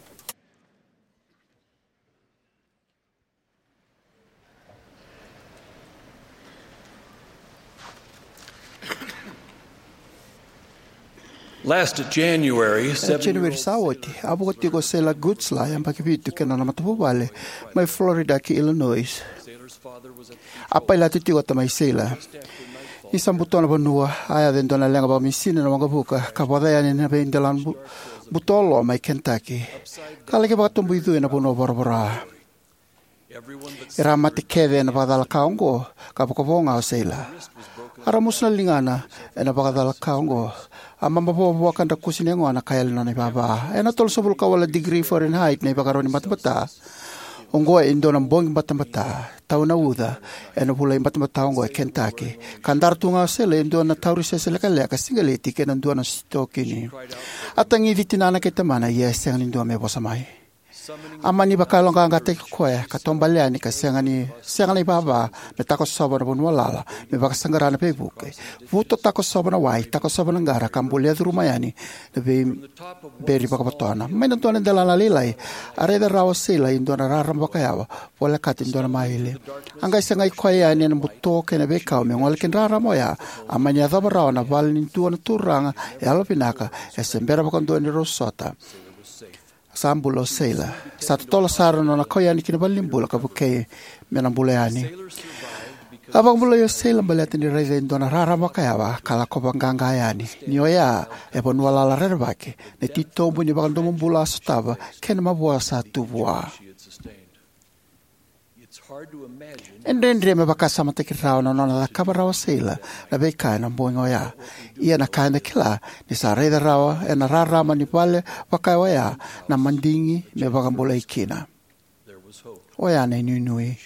Last January, Ena seven January year old sa oti, a vuka tiko o Sailor Gutzler, yabaki vitu, kei na nona matavuvale mai Florida ki Illinois. A pailate tiko o tamai Sailor. Ni sa buto na vanua, a yaco e dua na leqa vakamisini ena waqavuka ka voca yani na veidelana bu-, buto lo mai Kentucky, ka laki vakatoboicui ena vanua voravora. Era a mate kece ena vakacalaka oqo, ka vakavo ga o Sailor. A ramusu na ligana ena vakacalaka oqo. A mabavoa vua ka drakusi na yagona ka yali na nona ivava. Ena tolusagavulu ka walu na tikiri Fahrenheit na ivakarau ni batabata. Oqo e dua na bogi batabata, tau na uca ena vula ibatabata oqo e Kentucky. Ka dara tu ga o Sailor e dua na taurisese lekaleka, siqeleti kei na dua na sitokini. A tagici tinana kei tamana, ia e sega ni dua me vosa mai. A mani vakayaloqaqataki koya ka taubale yani ka sega ni, sega na ivava me takosova na vanua lala, me vakasaqara na veivuke. Vuto takosova na wai, takosova na qara ka bulia curuma yani na veiberi vakavotona. Mai na dua na delana lailai, a raica rawa o Sailor e dua na rarama vakayawa, volekati e dua na maile. A qai sagai koya yani ena buto kei na veikau me gole ki na rarama oya. A mani yacova rawa na vale ni dua na turaga yalovinaka, e se bera vakadua ni rau sota. Sa bula o Sailor. Sa totolo sara na nona kau yani ki na valenibula ka vukei me na bula yani. A vakabulai o Sailor baleta ni raica e dua na rarama vakayawa ka lako vaqaqa yani. Ni oya e vanua lala rerevaki, na titobu ni vakadomobula a sotava kei na mavoa sa tu vua. E dredre me vakasamataki rawa na nona cakava rawa o Sailor na veika ena bogi oya. Ia na ka eda kila, ni sa raica rawa ena rarama ni vale vaka oya na madigi me vakabulai kina. Oya na inuinui.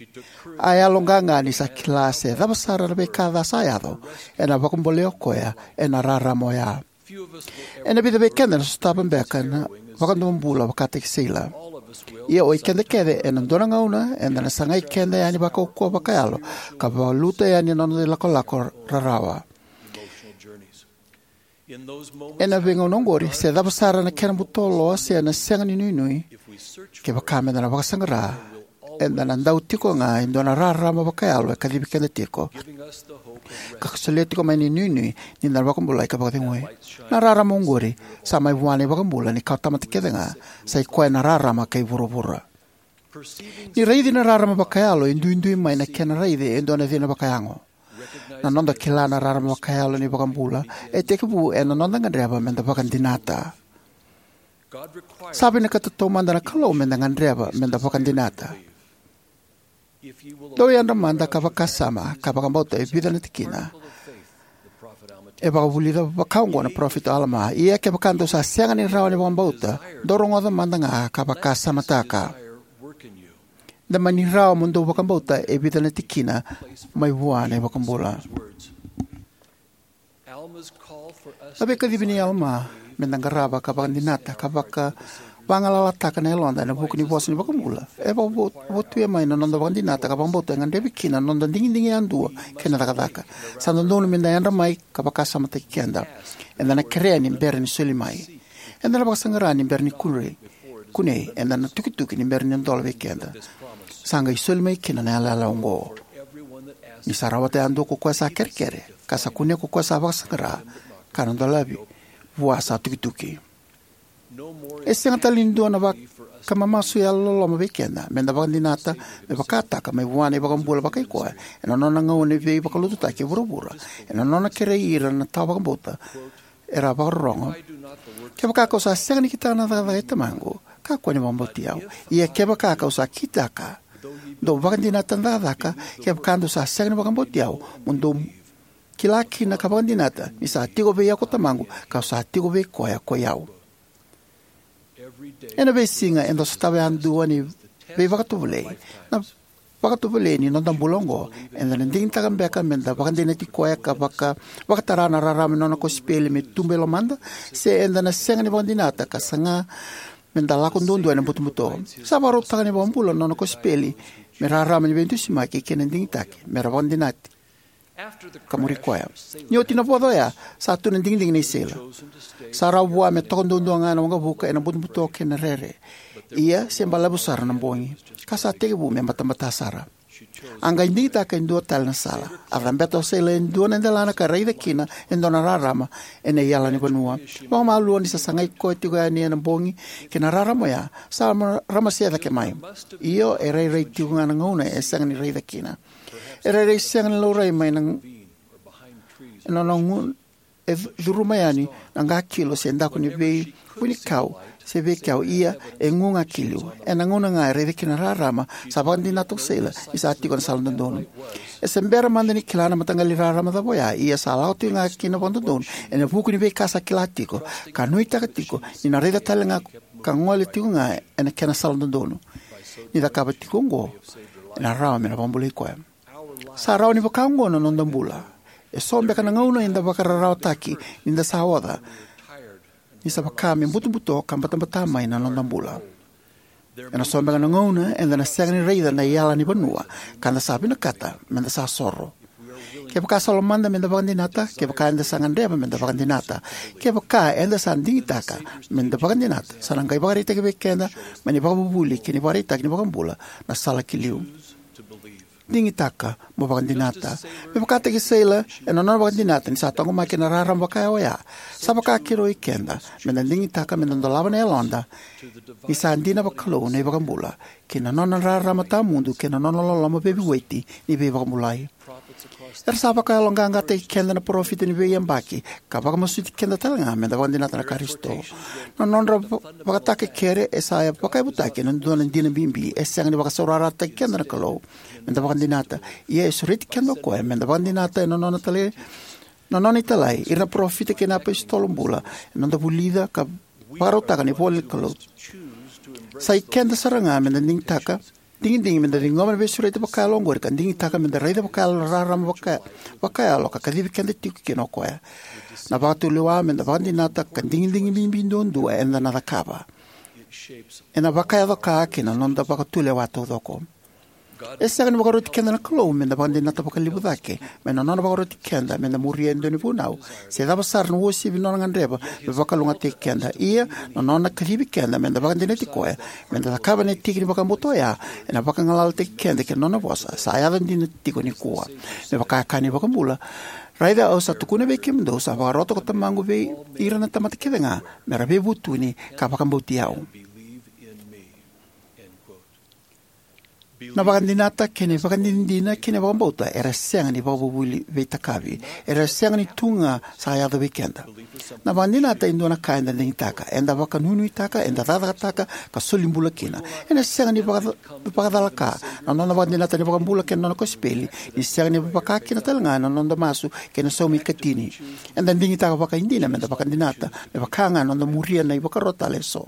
A yaloqaqa ni sa kila se cava sara na veika ca sa yaco, ena vakabulai o koya ena rarama oya. Ena vica vei keda na sotava beka na vakadomobula vakataki Sailor. Ia oi keda kece ena dua na gauna eda na sagai keda yani vakaukauwa vakayalo ka valuta yani na noda ilakolako rarawa. Ena veigauna oqori, se cava sara na kena buto lo se na sega ni nuinui, kevaka meda na vakasaqara, eda na dau tiko ga e dua na rarama vakayalo e kacivi keda tiko, ka solia tiko mai na inuinui ni da na vakabulai ka vakacegui. Na rarama oqori sa mai vua na iVakabula ni kawatamata kece ga, sa i koya na rarama kei vuravura. Ni raici na rarama vakayalo e duidui mai na kena raici e dua na cina vakayago. Na noda kila na rarama vakayalo ni iVakabula e tekivu ena noda gadreva meda vakadinata. Sa vinakata taumada na Kalou meda gadreva meda vakadinata. Dou yadra mada ka vakasama ka vakabauta e vica na tikina. E vakavulica vaka oqo na parofita o Alama: Ia kevaka dou sa sega ni rawa ni vakabauta, dou rogoca mada ga ka vakasamataka. Da mani rawa mo dou vakabauta e vica na tikina mai vua na iVakabula. A veikacivi nei Alama meda qarava ka vakadinata ka vaka, vagalalataka na yaloda ena vuku ni vosa ni iVakabula e vakavotuya mai na noda vakadinata ka vakabauta e gadrevi kina na noda digidigi yadua kei na cakacaka. Sa dodonu meda yadra mai ka vakasamataki keda. Eda na kerea ni bera ni soli mai. Eda na vakasaqara ni bera ni kunei. Kunei, eda na tukituki ni bera ni dola vei keda. Sa qai soli mai kina na yalayala oqo: Ni sa rawata yadua ko koya sa kerekere, ka sa kunea ko koya sa vakasaqara, ka na dolavi vua sa tukituki. E sega tale ni dua na vakamamasu yalololoma vei keda meda vakadinata me vakataka mai vua na iVakabula vakaikoya ena nona gauna ni veivakalotutaki e vuravura, ena nona kerei ira na tawa vakabauta era a vakarorogo: Kevaka kau sa sega ni kitaka na cakacaka i Tamaqu, kakua ni vakabauti au. Ia kevaka kau sa kitaka, dou vakadinata na cakacaka. Kevaka dou sa sega ni vakabauti au, mo dou kila kina ka vakadinata ni sa tiko vei au ko Tamaqu, kau sa tiko vei koya ko i au. Ena veisiga eda sotava yadua na veivakatovolei. Na vakatovolei ni noda bula oqo, eda na digitaka beka meda vakadinati koya ka vaka, vakatara na rarama ni nona kosipeli me tubu e lomada, se eda na sega ni vakadinata ka saga meda lako duadua ena butobuto? Sa vakarautaka na iVakabula na nona kosipeli me rarama ni veidusimaki kei na digitaki, mera vakadinati ka muri koya. Ni oti na voca oya, sa tu na digidigi nei Sailor. Sa rawa vua me toka duadua ga ena waqavuka ena butobuto kei na rere. Ia se balavu sara na bogi, ka sa tekivu me batabata sara. A qai digitaka e dua tale na sala. A cabeta o Sailor e dua na delana ka raica kina e dua na rarama ena iyala ni vanua. Vakamalua ni sa sagai koya tiko yani ena bogi kei na rarama oya, sa rama, ramasea cake mai. Io, e rairai tiko ga na gauna e sega ni raica kina. E rairai sega ni laurai mai na, ena nona gu-, e cu-, curuma yani na qakilo se daku ni vei vunikau se veikau, ia e gu ga ki liu. Ena gauna ga e raica kina na rarama, sa vakadinata o Sailor ni sa tiko ena sala dodonu. E se bera mada ni kila na mataqali rarama cava oya, ia sa lako tiko ga kina vakadodonu ena vuku ni veika sa kila tiko, ka nuitaka tiko ni na raica tale ga ka gole tiko ga ena kena sala dodonu. Ni cakava tiko oqo, ena rawa me na vakabulai koya. Sa rawa ni vaka oqo na noda bula. E so beka na gauna eda vakararawataki ni da sa oca, ni sa vaka me butobuto ka batabata mai na noda bula. Ena so beka na gauna eda na sega ni raica na iyala ni vanua ka da sa vinakata me da sa soro. Kevaka sa lomada me da vakadinata, kevaka eda sa gadreva me da vakadinata, kevaka eda sa digitaka me da vakadinata, sa na qai vakaraitaki vei keda mai na ivakavuvuli kei na ivakaraitaki ni vakabula na sala ki liu. Digitaka mo vakadinata. Me vakataki Sailor, ena nona vakadinata ni sa taqomaki ena rarama vaka oya, sa vaka kina o keda me da digitaka me da dolava na yaloda ni sa dina vakalou na iVakabula kei na nona rarama tawamudu kei na nona loloma veivueti ni veivakabulai. Era sa vakayaloqaqataki keda na parofita ni veiyabaki ka vakamasuti keda tale ga me da vakadinata na Karisito. Na nodra va-, vakatakekere e sa vakayavutaki ena dua na dina bibi. E sega ni vakasaurarataki keda na Kalou me da vakadinata, ia e sureti keda o koya me da vakadinata ena nona tale, na nona italai, ira na parofita kei na apositolo bula, ena noda vulica ka vakarautaka na ivola ni Kalou. Sa i keda sara ga me da digitaka, digidigi me da ciqoma na veisureti vakayalo oqori ka digitaka me da raica vakayalo na rarama vaka-, vakayalo ka kacivi keda tiko kina o koya. Na vakatulewa me da vakadinata ka digidigi bibi duadua eda na cakava, ena vakayaco ka kina noda vakatulewa taucoko. E sega ni vakaroti keda na Kalou me da vakadinata vakalevu cake mai na nona vakaroti keda me da muria e dua na vunau se cava sara na uasivi nona gadreva me vakalougatataki keda. Ia, na nona kacivi keda me da vakadinati koya me da cakava na tiki ni vakabauta oya, ena vakagalalataki keda kei na nona vosa sa yaco dina tiko nikua. Me vaka e kaya na iVakabula, "Raica, au sa tukuna vei kemudou, sa vakarota ko Tamaqu vei ira na tamata kece ga me ra veivutuni ka vakabauti au." Na vakadinata kei na ivakadinadina kei na vakabauta era sega ni vakavuvuli veitakavi. Era sega ni tu ga sa yaco vei keda. Na vakadinata e dua na ka eda digitaka, eda vakanuinuitaka, eda cakacakataka ka soli bula kina. Ena sega ni vaka-, vakacalaka na noda vakadinata na iVakabula kei na nona kosipeli ni sega ni vaka kina tale ga na noda masu kei na saumi ikatini. Eda digitaka vakaidina me da vakadinata, me vaka ga na noda muria na ivakaro tale eso.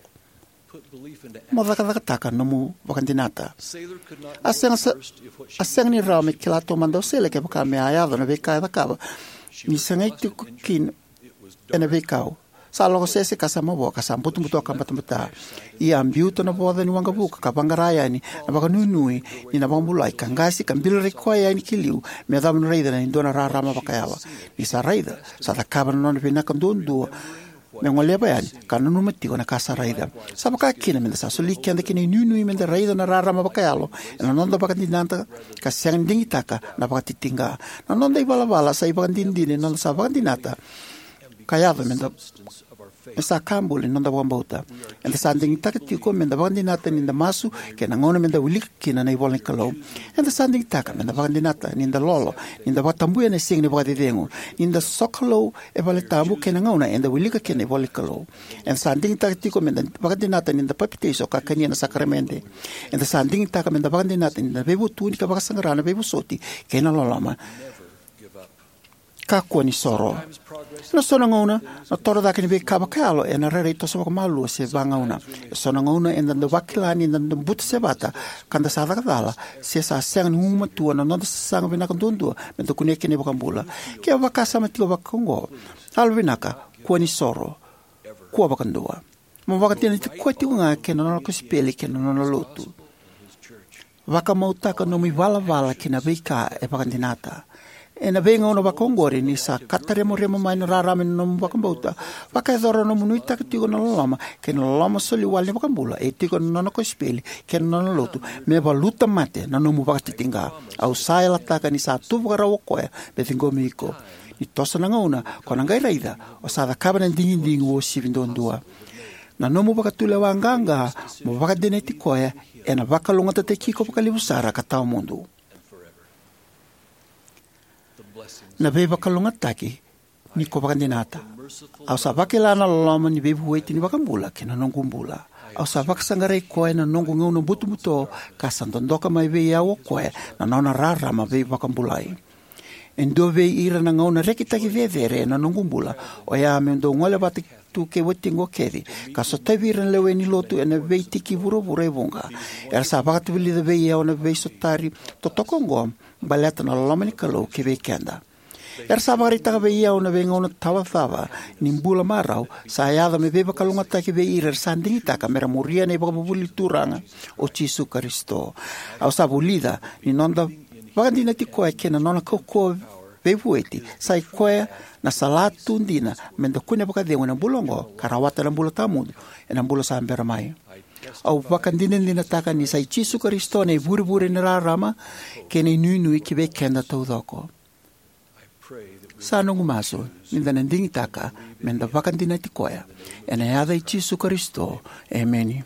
Mo cakacakataka nomu vakadinata. A sega sa-, a sega ni rawa me kila taumada o Sailor kevaka me a yaco na veika e cakava ni sagai tiko kina ena veikau. Sa lako sese ka sa mavoa ka sa butobuto ka batabata. Ia a biuta na voca ni waqavuka ka vaqara yani na vakanuinui ni na vakabulai ka qasi ka bilaraki koya yani ki liu me yacova ni raica na dua na rarama vakayalo. Ni sa raica, sa cakava na nona vinaka duadua me goleva yani ka nanuma tiko na ka sa raica. Sa vaka kina me da sa soli keda ki na inuinui me da raica na rarama vakayalo ena noda vakadinata ka sega ni digitaka na vakatitiqa. Na noda ivalavala sa ivakadinadina ni noda sa vakadinata ka yaco me da, me sa ka buli ni noda vakabauta. Eda sa digitaka tiko me da vakadinata ni da masu kei na gauna me da wilika kina na ivola ni Kalou. Eda sa digitaka me da vakadinata ni da lolo, ni da vakatabuya na siga ni vakacecegu, ni da sokalou e vale tabu kei na gauna eda wilika kina na ivola ni Kalou. Eda sa digitaka tiko me da vakadinata ni da papitaiso ka kania na sakaramede. Eda sa digitaka me da vakadinata ni da veivutuni ka vakasaqara na veivosoti kei na loloma. Kakua ni soro. Ena so na gauna, na toro cake ni veika vakayalo ena rairai toso vakamalua se vagauna. E so na gauna eda dau vakila ni da dau buta sevata ka da sa caka cala, se sa sega ni gumatua na noda sasaga vinaka duadua me da kunea kina na iVakabula. Ke o vakasama tiko vaka oqo, yalovinaka, kua ni soro, kua vakadua. Mo vakadinati koya tiko ga kei na nona kosipeli kei na nona lotu. Vakamautaka nomu ivalavala ki na veika e vakadinata. Ena veigauna vakaoqori, ni sa kataremarema mai na rarama ni nomu vakabauta, vakayacora na nomu nuitaka tiko na loloma kei na loloma soli wale ni iVakabula e tiko ena Nona kosipeli kei na Nona Lotu me valuta mate na nomu vakatitiqa. Au sa yalataka ni sa tu vakarau o Koya me ciqomi iko. Ni toso na gauna, ko na qai raica o sa cakava na digidigi uasivi duadua. Na nomu vakatulewa qaqa mo vakadinati Koya ena vakalougatataki iko vakalevu sara ka tawamudu. Na veivakalougatataki ni ko vakadinata. Au sa vakila na loloma ni veivueti ni iVakabula ki na noqu bula. Au sa vakasaqarai Koya ena noqu gauna butobuto, ka sa dodoka mai vei au o Koya na Nona rarama veivakabulai. E dua vei ira na gauna rekitaki cecere ena noqu bula oya meu dau gole vata tu kei watiqu o Kathy, ka sotavi ira na lewe ni Lotu ena veitiki vuravura e vuqa. Era sa vakavulica vei au na veisotari totoka oqo baleta na loloma ni Kalou kivei keda. Era sa vakaraitaka vei au na veigauna tawacava ni bula marau sa yaco me veivakalougatataki vei ira era sa digitaka me ra muria na ivakavuvuli ni Turaga o Jisu Karisito. Au sa vulica ni noda vakadinati Koya kei na Nona kaukauwa veivueti sai koya na salatu dina me da kune vakacegu ena bula oqo ka rawata na bula tawamudu ena bula sa bera mai. Au vakadinadinataka ni sai Jisu Karisito na ivurevure ni rarama kei na inuinui kivei keda taucoko. Sa noqu masu ni da na digitaka me da vakadinati Koya. Ena yaca i Jisu Karisito, emeni.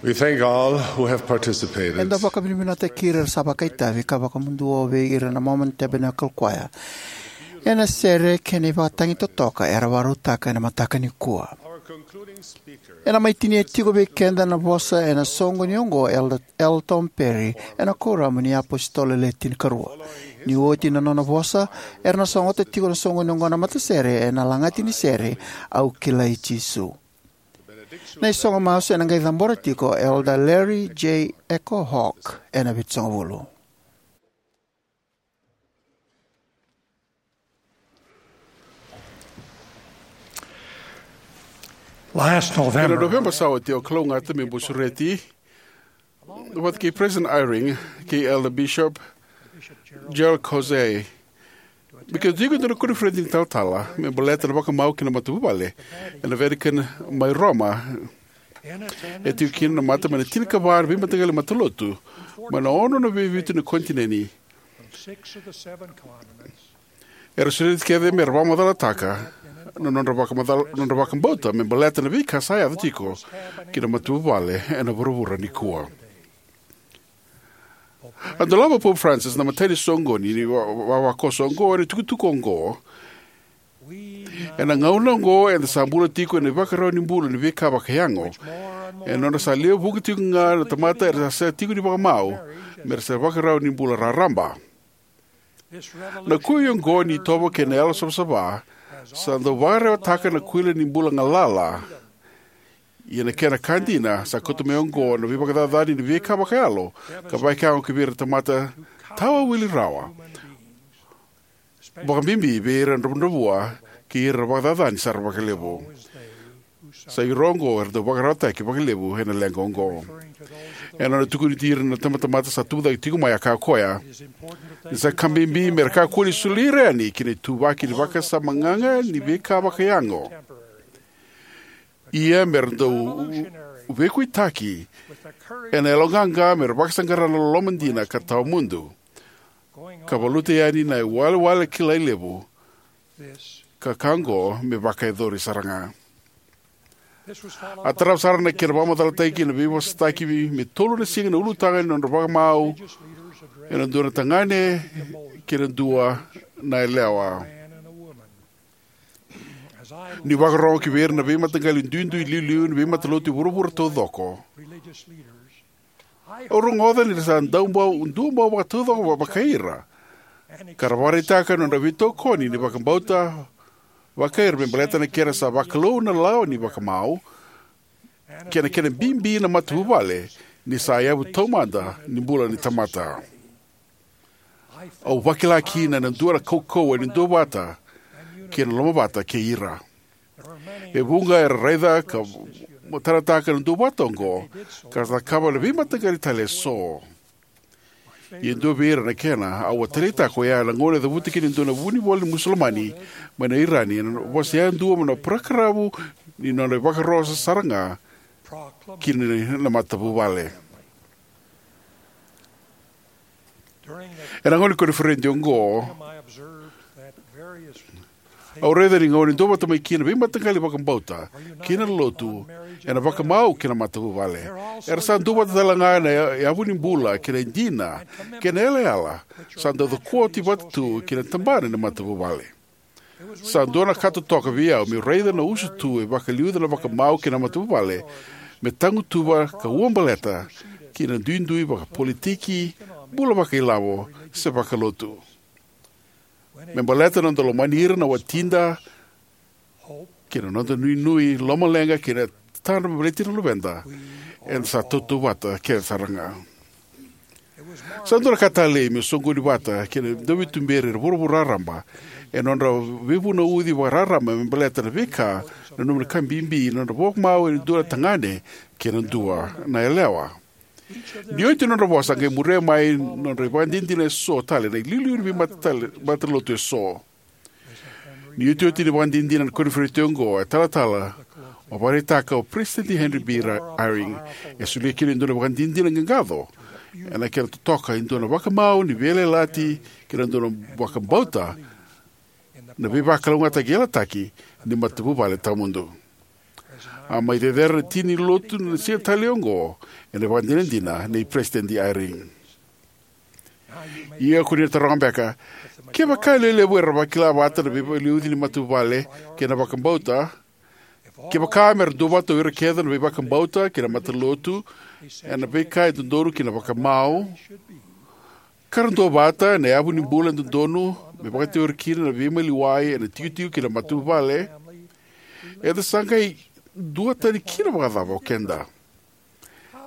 We thank all who have participated. Eda vakavinavinakataki ira era sa vakaitavi ka vakamuduo vei ira na Mormon Tabernacle Choir ena sere kei na ivakatagi totoka era vakarautaka ena mataka nikua. Ena mai tinia tiko vei keda na vosa ena soqoni oqo, Elder L. Tom Perry, ena Kuoramu ni iApositolo Le Tinikarua. Ni oti na nona vosa, era na sogota tiko na soqoni oqo na matasere ena lagati ni sere, Au Kilai Jisu. Na isogo masu ena qai cabora tiko Elder Larry J. Echo Hawk ena Vitusagavulu. Last November, November sa oti, au kalougata meu bau sureti vata kei President Eyring kei Elder Bishop Gerald Cossey me keitou tiko ena koniferedi ni talatala me baleta na vakamau kei na matavuvale ena Vatican mai Roma. E tiko kina na mata mai na tinikava na veimataqali matalotu mai na ono na veivitu na konitineni. Era sureti kece me ra vakamacalataka na nodra vakamacal-, nodra vakabauta me baleta na veika sa yaco tiko ki na matavuvale ena vuravura nikua. A dolava o Pope Francis na imatai ni soqoni ni va-, va-, vavakoso oqo ena itukutuku oqo. Ena gauna oqo eda sa bula tiko ena ivakarau ni bula ni veika vakayago, ena nodra sa lewe vuqa tiko ga na tamata era sa tiko ni vakamau me ra sa ivakarau ni bula raraba. Na kui oqo ni itovo kei na yalo savasava sa dau vakarewataka na kuila ni bula galala. Ia na kena ka dina, sa kauta mai oqo na veivakacacani ni veika vakayalo ka vakayago ki vei ira na tamata tawa wili rawa, vakabibi vei ira na dravudravua kei ira na vakacacani sara vakalevu. Sa ira oqo era dau vakararawataki vakalevu ena leqa oqo. Ena nona tukuni ira na tabatamata sa tubu cake tiko mai, a kaya o koya ni sa ka bibi me ra kakua ni soli ira yani ki na ituvaki ni vakasama gaga ni veika vakayago. Ia me ra dau veikuitaki ena yaloqaqa me ra vakasaqara na loloma dina ka tawamudu, ka valuta yani na iwalewale kilai levu, ka ka oqo me vakayacori sara ga. A tarava sara na kena vakamacalataki na veivosataki me tolu na siga na ulutaga ni nodra vakamau ena dua na tagane kei na dua na yalewa. Niu vakarorogo ki vei ira na veimataqali duidui iliuliu ni veimatalotu e vuravura taucoko, au rogoca ni ra sa dau bau, dau bau vakataucoko va-, vakai ira, ka ra vakaraitaka na nodra veitokoni ni vakabauta vakai ira me baleta na kena sa vakalou na lawa ni vakamau, kei na kena bibi na matavuvale ni sa yavu taumada ni bula ni tamata. Au vakila kina na dua na kaukauwa ni duavata kei na lomavata kei ira. E vuqa era raica ka matanataka na duavata oqo, ka ra cakava na veimataqali tale eso. Ia e dua vei ira na kena au a taleitaka, oya na gauna e cavuta kina e dua na vunivola ni Musulamani mai na Irani ena vosa yadua mai na parakaravu ni nona ivakarosa sara ga kina na matavuvale. Ena gauna ni koniferedi oqo, au raica ni gauna e duavata mai kina na veimataqali vakabauta kei na lotu ena vakamau kei na matavuvale. Era sa duavata tale ga ena ya-, yavu ni bula kei na dina kei na yalayala sa dau cokoti vata tu kei na tabana ni matavuvale. Sa dua na ka totoka vei au meu raica na usutu e vakaliuca na vakamau kei na matavuvale me tagutuva ka uabaleta ki na duidui vakapolitiki, bula vakailavo, se vakalotu. Me baleta na noda lomani ira na watida kei na noda nuinui, lomaleqa kei na tadra me baleti na luveda, eda sa tautauvata kece sara ga. Sa dua na ka talei meu soqoni vata kei na dauveituberi era vuravura raraba ena nodra veivunauci vakararaba me baleta na veika, nanuma na ka bibi na nodra vakamau ena dua na tagane kei na dua na yalewa. Ni oti na nodra vosa, a qai muria mai na nodra ivakadinadina eso tale na iliuliu ni veimata tale, matalotu eso. Ni iotioti ni vakadinadina na koniferedi oqo, e talatala, a vakaraitaka o Peresitedi Henry B. Ra-, Eyring, e solia kina e dua na vakadinadina qaqaco ena kena totoka e dua na vakamau ni veiyalayalati kei na dua na vakabauta na veivakalougatataki yalataki ni matavuvale tawamudu. A mai cecere na tini ni lotu na siga talei oqo ena ivakadinadina nei Peresitedi Eyring. Ia ko ni na taroga beka, kevaka e lewe levu era vakila vata na veivakaliuci ni matavuvale kei na vakabauta, kevaka me ra duavata o ira kece na veivakabauta kei na matalotu ena veika e dodonu kei na vakamau, ka ra duavata ena yavu ni bula e dodonu me vakateori kina na veimaliwai ena itikotiko kei na matavuvale, eda sa qai duatani kina vakacava o keda?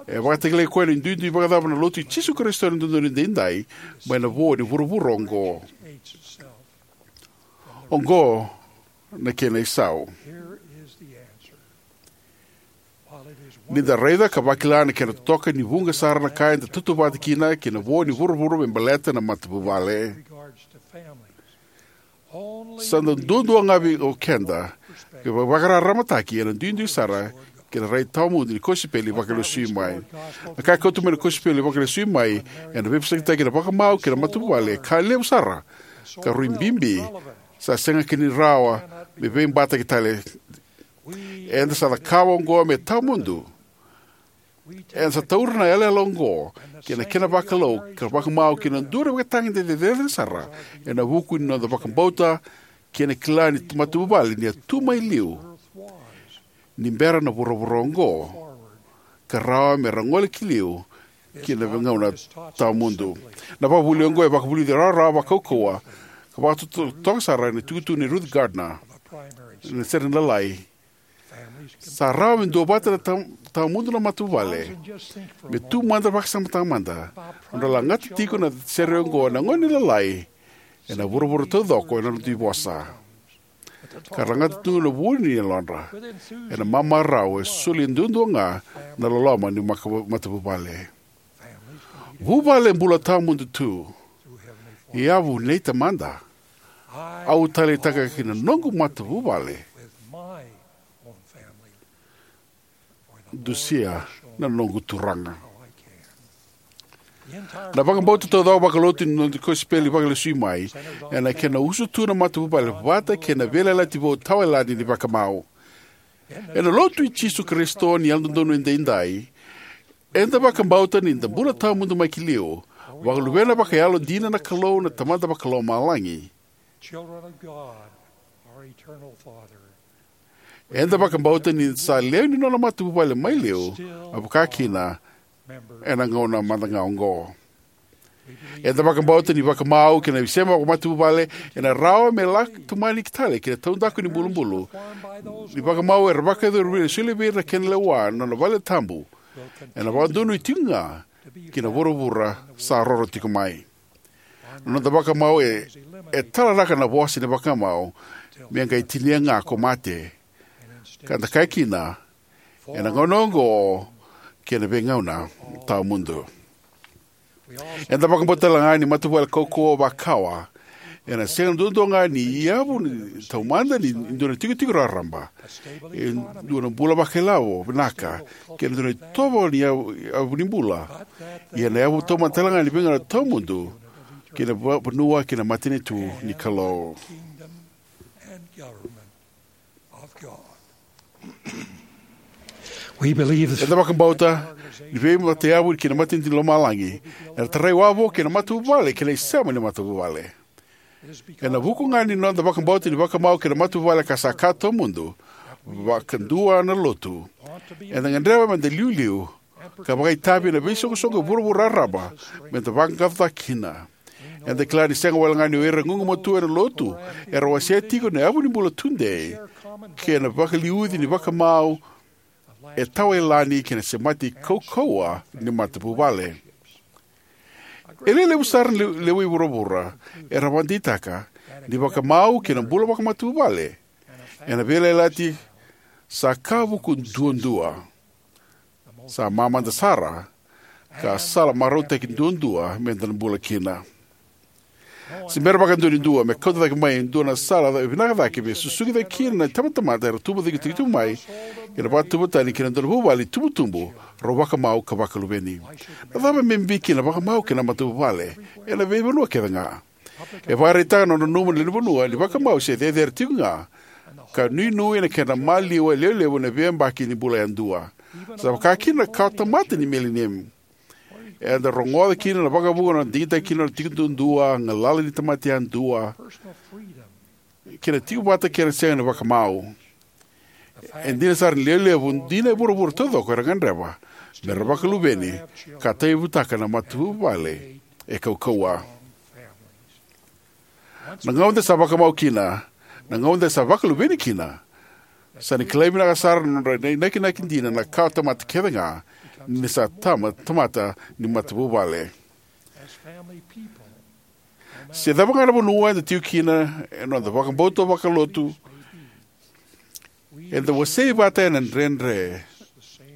E vakatakilai koya ena duidui vakacava na Lotu i Jisu Karisito ni Yalododonu Edaidai mai na vo ni vuravura oqo? Oqo na kena isau. Ni da raica ka vakila na kena totoka ni vuqa sara na ka eda tautauvata kina ki na vo ni vuravura me baleta na matavuvale, sa da duadua ga vei keda ka vakararamataki ena duidui sara ki na rai tawamudu ni kosipeli vakalesui mai. Na ka e kauta mai na kosipeli vakalesui mai ena veivosakitaki ena vakamau kei na matavuvale e ka levu sara ka rui bibi, sa sega kina ni rawa me veibataki tale. Eda sa cakava oqo me tawamudu. Eda sa taura na yalayala oqo kei na kena vakalou ka vakamau ki na dua na ivakatagedegede cecere sara ena vuku ni noda vakabauta kei na kila ni matavuvale ni a tu mai liu ni bera na vuravura oqo, ka rawa me ra gole ki liu ki na veigauna tawamudu. Na vakavuvuli oqo e vakavulici rawarawa, vakaukauwa, ka vakatotoka sara ena itukutuku nei Ruth Gardner ena sere ni Lalai: Sa rawa me duavata na tawa- tawamudu na matavuvale. Me tu mada, vakasamataka mada, nodra lagata tiko na sere oqo na gone ni Lalai ena vuravura taucoko ena nodra dui vosa, ka ra lagata tu na vu ni yalodra ena mamarau e soli duadua ga na loloma ni maka- matavuvale. Vuvale bula tawamudu tu. I yavu nei Tamada, au taleitaka ki na noqu matavuvale, dusia na noqu Turaga. Na vakabauta taucoko vakalotu ni noda kosipeli vakalesui mai ena kena usutu na matavuvale vata kei na veiyalayalati vou tawayalani ni vakamau. Ena Lotu i Jisu Karisito ni Yalododonu Edaidai, eda vakabauta ni da bula tawamudu mai ki liu, vakaluvena vakayalo dina na Kalou na Tamada Vakalomalagi. Eda vakabauta ni da sa lewe ni nona matavuvale mai liu, me vaka kina ena gauna mada ga oqo. Eda vakabauta ni vakamau kei na isema vakamatavuvale ena rawa me laki tomani tale ki na taudaku ni bulubulu ni vakamau era vakayacori vei ira na kena lewa na nona valetabu, ena vakadonui tiko ga ki na vuravura sa roro tiko mai. Na noda vakamau e, e talaraka na vosa ni vakamau me qai tinia ga ko mate, ka da kaya kina, ena gauna oqo kei na veigauna tawamudu. Eda vakabauta tale ga ni matavuvale kaukauwa vakawa ena sega duadua ga ni yavu ni taumada ni dua na itikotiko raraba, e dua na bula vakailavo vinaka, kei na dua na itovo ni yavu, yavu ni bula. Ia na yavu taumada tale ga ni veigauna tawamudu kei na va- vanua kei na matanitu ni Kalou. We believe the Eda vakabauta ni veimatayavu kei na matanitu ni lomalagi era tarai wavoki ena matavuvale kei na isema ni matavuvale. Ena vuku ga ni noda vakabauta ni vakamau kei na matavuvale ka sa ka tawamudu, vakadua na Lotu, eda gadreva meda liuliu ka vakaitavi ena veisoqosoqo e vuravura raraba meda vaqaqacotaka kina. Eda kila ni sega wale ga ni o ira e gugumatua ena Lotu era wasea tiko na yavu ni bula tudei kei na vakaliuci ni vakamau e tawayalani kei na semati kaukauwa ni matavuvale. E lewe levu sara na le- lewe i vuravura era vakadeitaka ni vakamau kei na bula vakamatavuvale ena veiyalayalati sa ka vuku duadua, sa mamada sara, ka sala marautaki duadua meda na bula kina. Se bera vakadua ni dua me kauta cake mai e dua na sala ca- vinaka cake me susugi cake kina na itabatamata era tubu cake tiko mai, kei na vakatauvatani kei na dua na vuvale itubutubu rau vakamau ka vakaluveni. Na cava me bibi kina na vakamau kei na matavuvale ena veivanua kece ga? E vakaraitaka na nona nanuma na lewe ni vanua ni vakamau se cecere tiko ga, ka nuinui ena kena maliwa e levulevu na veiyabaki ni bula yadua, sa vaka kina na kawatamata ni milenium. Eda rogoca kina na vakavuqa na nona digitaka kina na tiko duadua, galala ni tamata yadua, kei na tiko vata kei na sega ni vakamau. E dina sara ni lewe levu dina e vuravura taucoko era gadreva me ra vakaluveni ka tauyavutaka na matavuvale e kaukauwa. Na gauna eda sa vakamau kina, na gauna eda sa vakaluveni kina, sa na kilai vinaka sara na nodra inakinaki dina na kawatamata kece ga ni sa tama, tamata ni matavuvale. Se cava ga na vanua eda tiko kina ena noda vakabauta vakalotu, eda wasei vata ena dredre,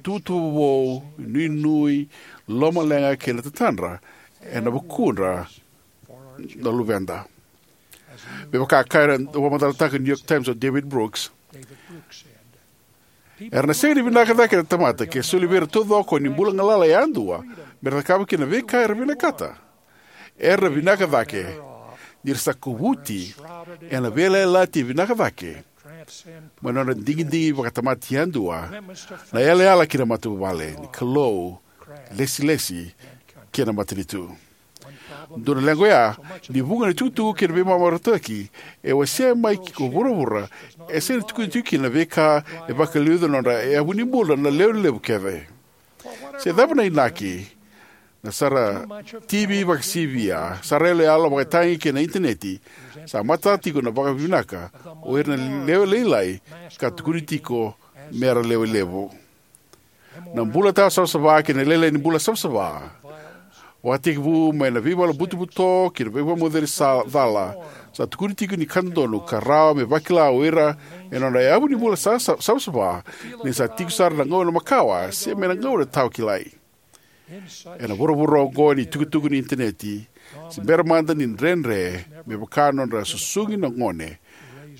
tuvatuva vou, nuinui, lomaleqa kei na tatadra ena vukudra na luveda. Me vaka e kaya na vakamacalataka ni New York Times o David Brooks, era na sega ni vinaka cake na tamata ke soli vei ira taucoko ni bula galala yadua me ra cakava kina na veika era vinakata. Era na vinaka cake ni ra sa kovuti ena veiyalayalati e vinaka cake mai na nodra digidigi vakatamata yadua, na yalayala ki na matavuvale, ni Kalou, lesilesi kei na matanitu. Dua na leqa oya ni vuqa na itukutuku kei na veimamarataki e wasea mai ki ko vuravura e sega ni tukuni tiko kina na veika e vakaliuca na nodra yavu ni bula na lewe levu kece. Se cava na inaki? Na sara T V vakasivia, sara yaloyalo vakatagi kei na initaneti sa matata tiko na vakavinaka o ira na lewe lailai ka tukuni tiko me ra lewe levu. Na bula tawa savasava kei na lailai ni bula savasava, vakatekivu mai na veivala butobuto ki na veivakamocevi sa cala, sa tukuni tiko ni ka dodonu ka rawa me vakila o ira ena nodra yavu ni bula sa, sa, savasava ni sa tiko sara na gauna makawa se mai na gauna tawa kilai. Ena vuravura oqo ni tukutuku ni initaneti, se bera mada ni dredre me vaka na nodra susugi na gone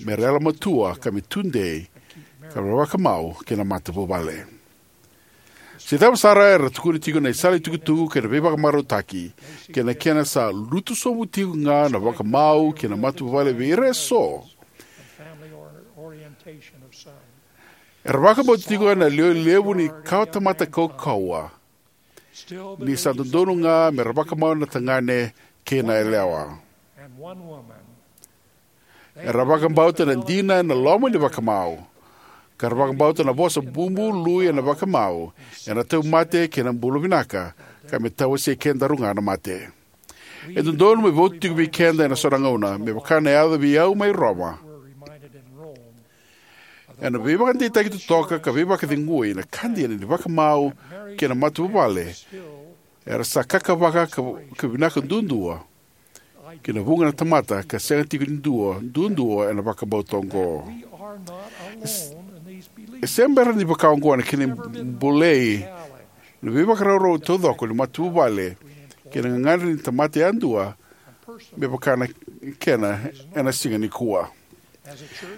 me ra yalomatua ka me tudei ka ra vakamau kei na matavuvale. Se cava sara era tukuna tiko na isala itukutuku kei na veivakamarautaki kei na kena sa lutu sobu tiko ga na vakamau kei na matavuvale vei ira eso. Era vakabauta tiko na lewe levu ni kawatamata kaukauwa ni sa dodonu ga me ra vakamau na tagane kei na yalewa. Era vakabauta na dina ena loma ni vakamau, ka ra vakabauta na vosa bubului ena vakamau ena tauvimate kei na bula vinaka, ka me tawasei kedaru ga na mate. E dodonu me votu tiko vei keda ena so na gauna, me vaka na yaca vei au mai Roma. Ena veivakadeitaki totoka ka veivakacegui, na ka dina ni vakamau kei na matavuvale era sa kakavaka ka, ka vinaka duadua ki na vuqa na tamata ka sega tiko ni dua duadua ena vakabauta oqo. E, e se bera ni vaka oqo na kena bolei na veivakarau taucoko ni matavuvale kei na gagadre ni tamata yadua me vaka na kena ena siga nikua.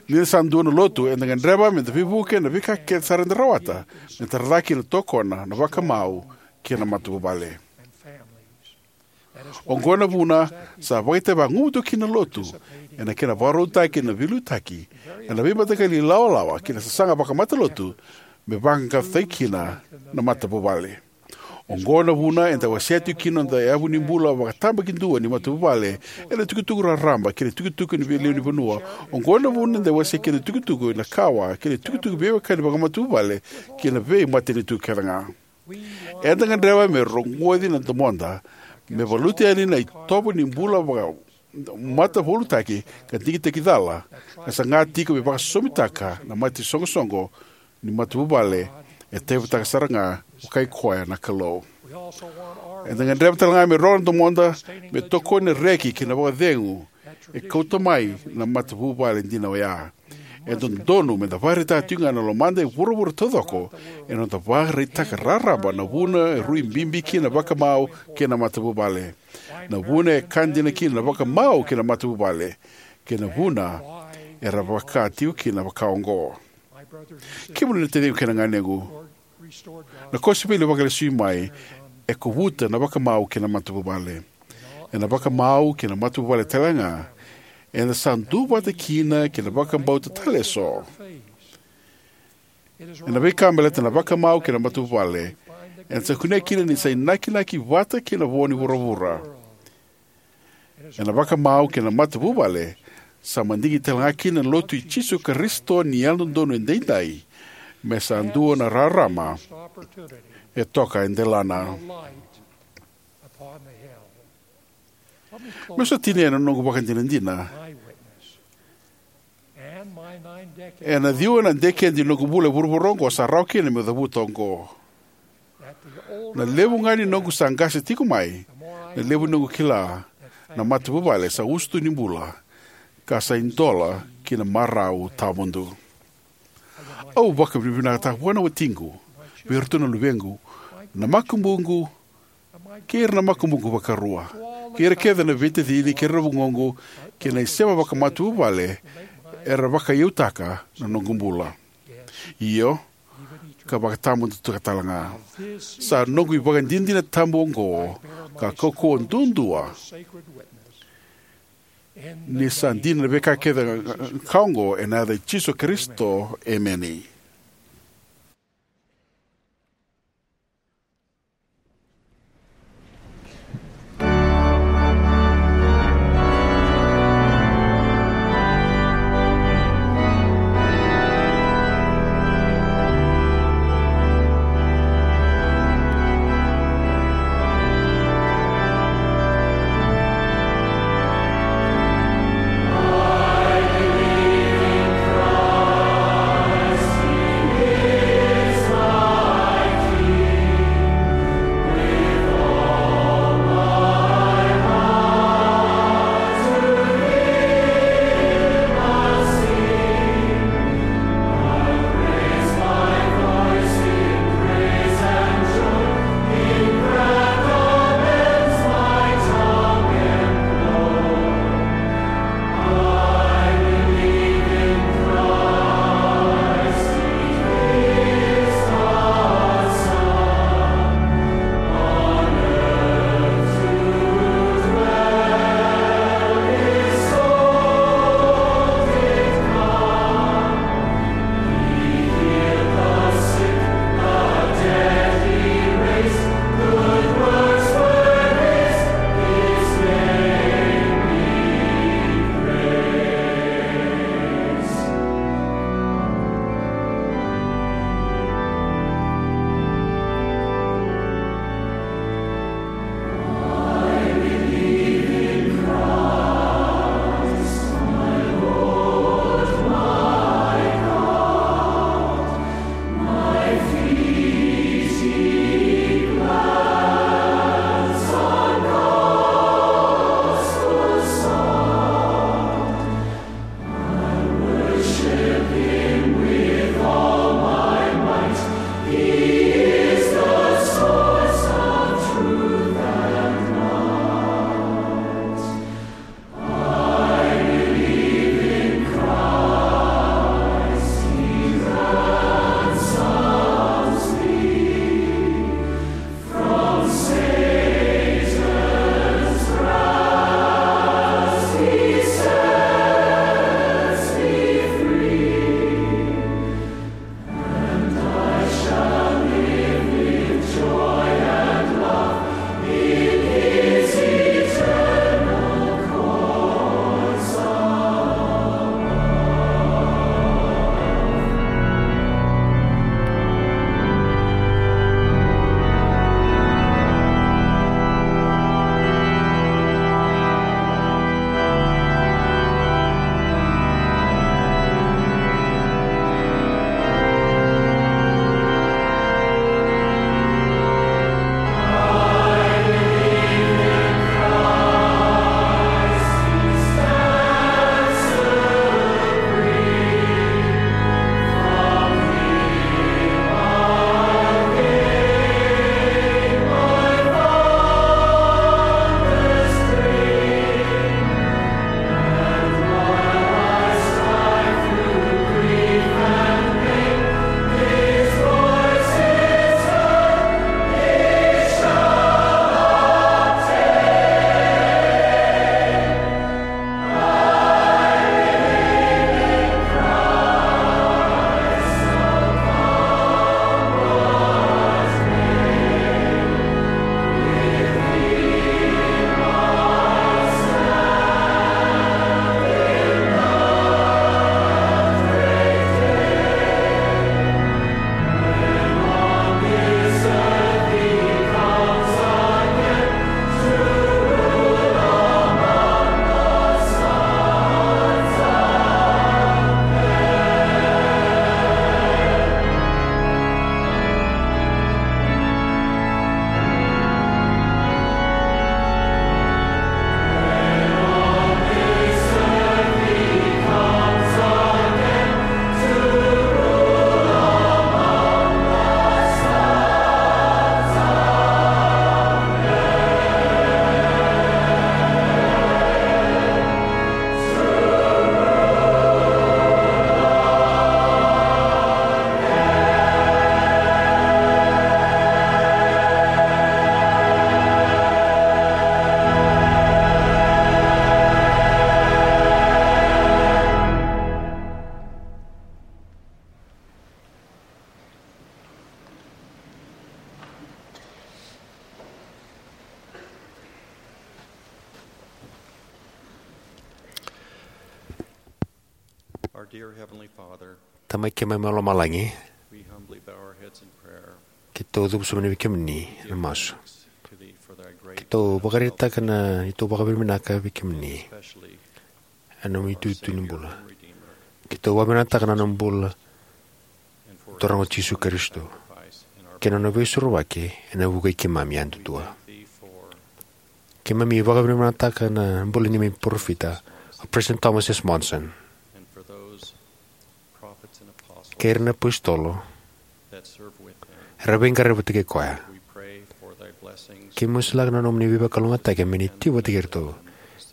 Ni da sa dua na lotu, eda gadreva me da veivuke na veika kece sara eda rawata me tara cake na tokona, na vakamau kei na matavuvale. Oqo na vuna sa vakaitavi vagumatua kina na lotu ena kena vakarautaki na veiliutaki ena veimataqali ilawalawa kei na sasaga vakamatalotu me vaqaqacotaki kina na matavuvale. Oqo na vuna eda wasea tiko kina na noda yavu ni bula vakatabakidua ni matavuvale ena tukutuku raraba kei na tukutuku ni veilewenivanua. Oqo na vuna eda wasea kina na tukutuku ena kawa kei na tukutuku veiwekani vakamatavuvale kei na veimatanitu kece ga. Eda gadreva me rogoci na domoda me valuta yani na itovo ni bula vaka matavulutaki ka digitaki cala, ka saga tiko me vakasosomitaka na mate isoqosoqo ni matavuvale e tauyavutaka sara ga vakai koya na Kalou. Eda gadreva tale ga me rogo na domoda me tokoni na reki kei na vakacegu e kauta mai na matavuvale dina oya. E dodonu me da vakaraitaka tiko ga na lomada e vuravura taucoko ena noda vakaraitaka raraba na vuna e rui bibi kina na vakamau kei na matavuvale, na vuna e ka dina kina na vakamau kei na matavuvale, kei na vuna era vaka tiko kina vaka oqo. Kemuni na taciqu kei na ganequ, na kosipeli vakalesui mai e kovuta na vakamau kei na matavuvale. Ena vakamau kei na matavuvale tale ga Eda sa duavata kina kei na vakabauta tale eso. Ena veika baleta na vakamau kei na matavuvale, eda sa kunea kina ni sa inakinaki vata kei na vo ni vuravura. Ena vakamau kei na matavuvale, sa madigi tale ga kina na Lotu i Jisu Karisito ni Yalododonu Edaidai, me sa dua na rarama e toka e delana. Meu sa tinia na noqu vakadinadina. Ena ciwa na dekedi ni noqu bula e vuravura oqo sa rawa kina meu cavuta oqo. Na levu ga ni noqu sa qase tiko mai, na levu ni noqu kila na matavuvale sa usutu ni bula, ka sa idola ki na marau tawamudu. Au vakavinavinakataka vua na watiqu, vei iratou na luvequ, na makubuqu, kei ira na makubuqu vakarua, kei ira kece na veitacini kei ira na vugoqu, kei na isema vakamatavuvale era vakaiyautaka na noqu bula. Io, ka vakatawamudu tale ga. Sa noqu ivakadinadina tabu oqo, ka kaukauwa duadua, ni sa dina na veika kece ka oqo, ena yaca i Jisu Karisito, emeni. Our dear Heavenly Father, Tamai keimami mai lomalagi, we humbly bow our heads in prayer. Keitou cuva sobu yani vei kemuni ena masu. Thanks to thee for thy great Keitou vakaraitaka na neitou vakavinavinaka vei kemuni especially ena nomu itutu ni bula. Keitou vakavinavinakataka na nomu bula, Turaga o Jisu Karisito, kei na nona veisorovaki ena vuku i keimami yadudua. Keimami vakavinavinakataka na bula ni neimami parofita, o President Thomas S. Monson, kei ira na apositolo era veiqaravi vata kei koya. Keimami masulaka na nomuni veivakalougatataki me ni tiko vata kei iratou,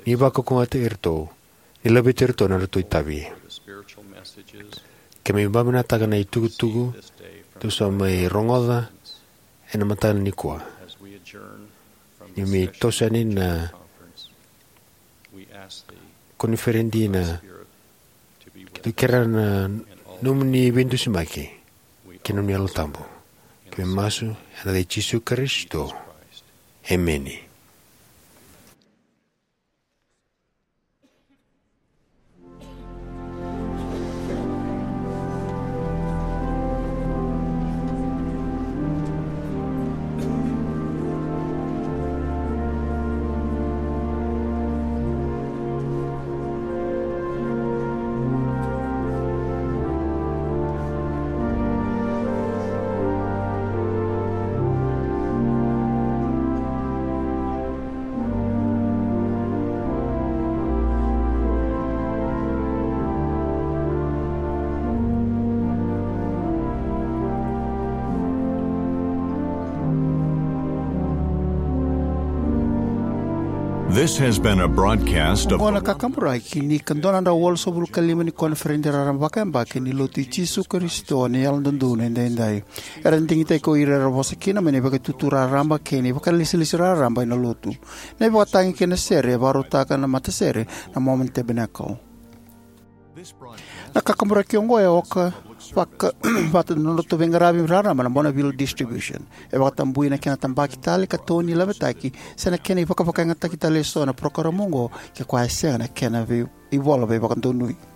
ni vakaukauwataki iratou, ni laveti iratou ena nodratou itavi. Keimami vakavinavinakataka na itukutuku tou sa mai rogoca ena mataka nikua. Ni mai toso yani na koniferedi, na keitou kerea na nomuni veidusimaki kei na nomuni Yalo Tabu. Keimami masu ena yaca i Jisu Karisito. Emeni. This has been a broadcast of Oqo na kakaburaki ni ka dua na drau walusagavulu ka lima ni koniferedi raraba vakayabaki ni Lotu i Jisu Karisito ni Yalododonu Edaidai. Era digitaki ko ira era vosa kina mai na ivakaitutu raraba kei na ivakalesilesi raraba ena Lotu. Na ivakatagi kei na sere e vakarautaka na matasere na Mormon Tabernacle. Na kakaburaki oqo e oka vaka vata na nodratou veiqaravi raraba na Bonneville Distribution. E vakatabui na kena tabaki tale ka tau ni lavetaki se na kena ivakavakayagataki tale eso na parokaramu oqo ke koya e sega na kena vei ivola veivakadonui.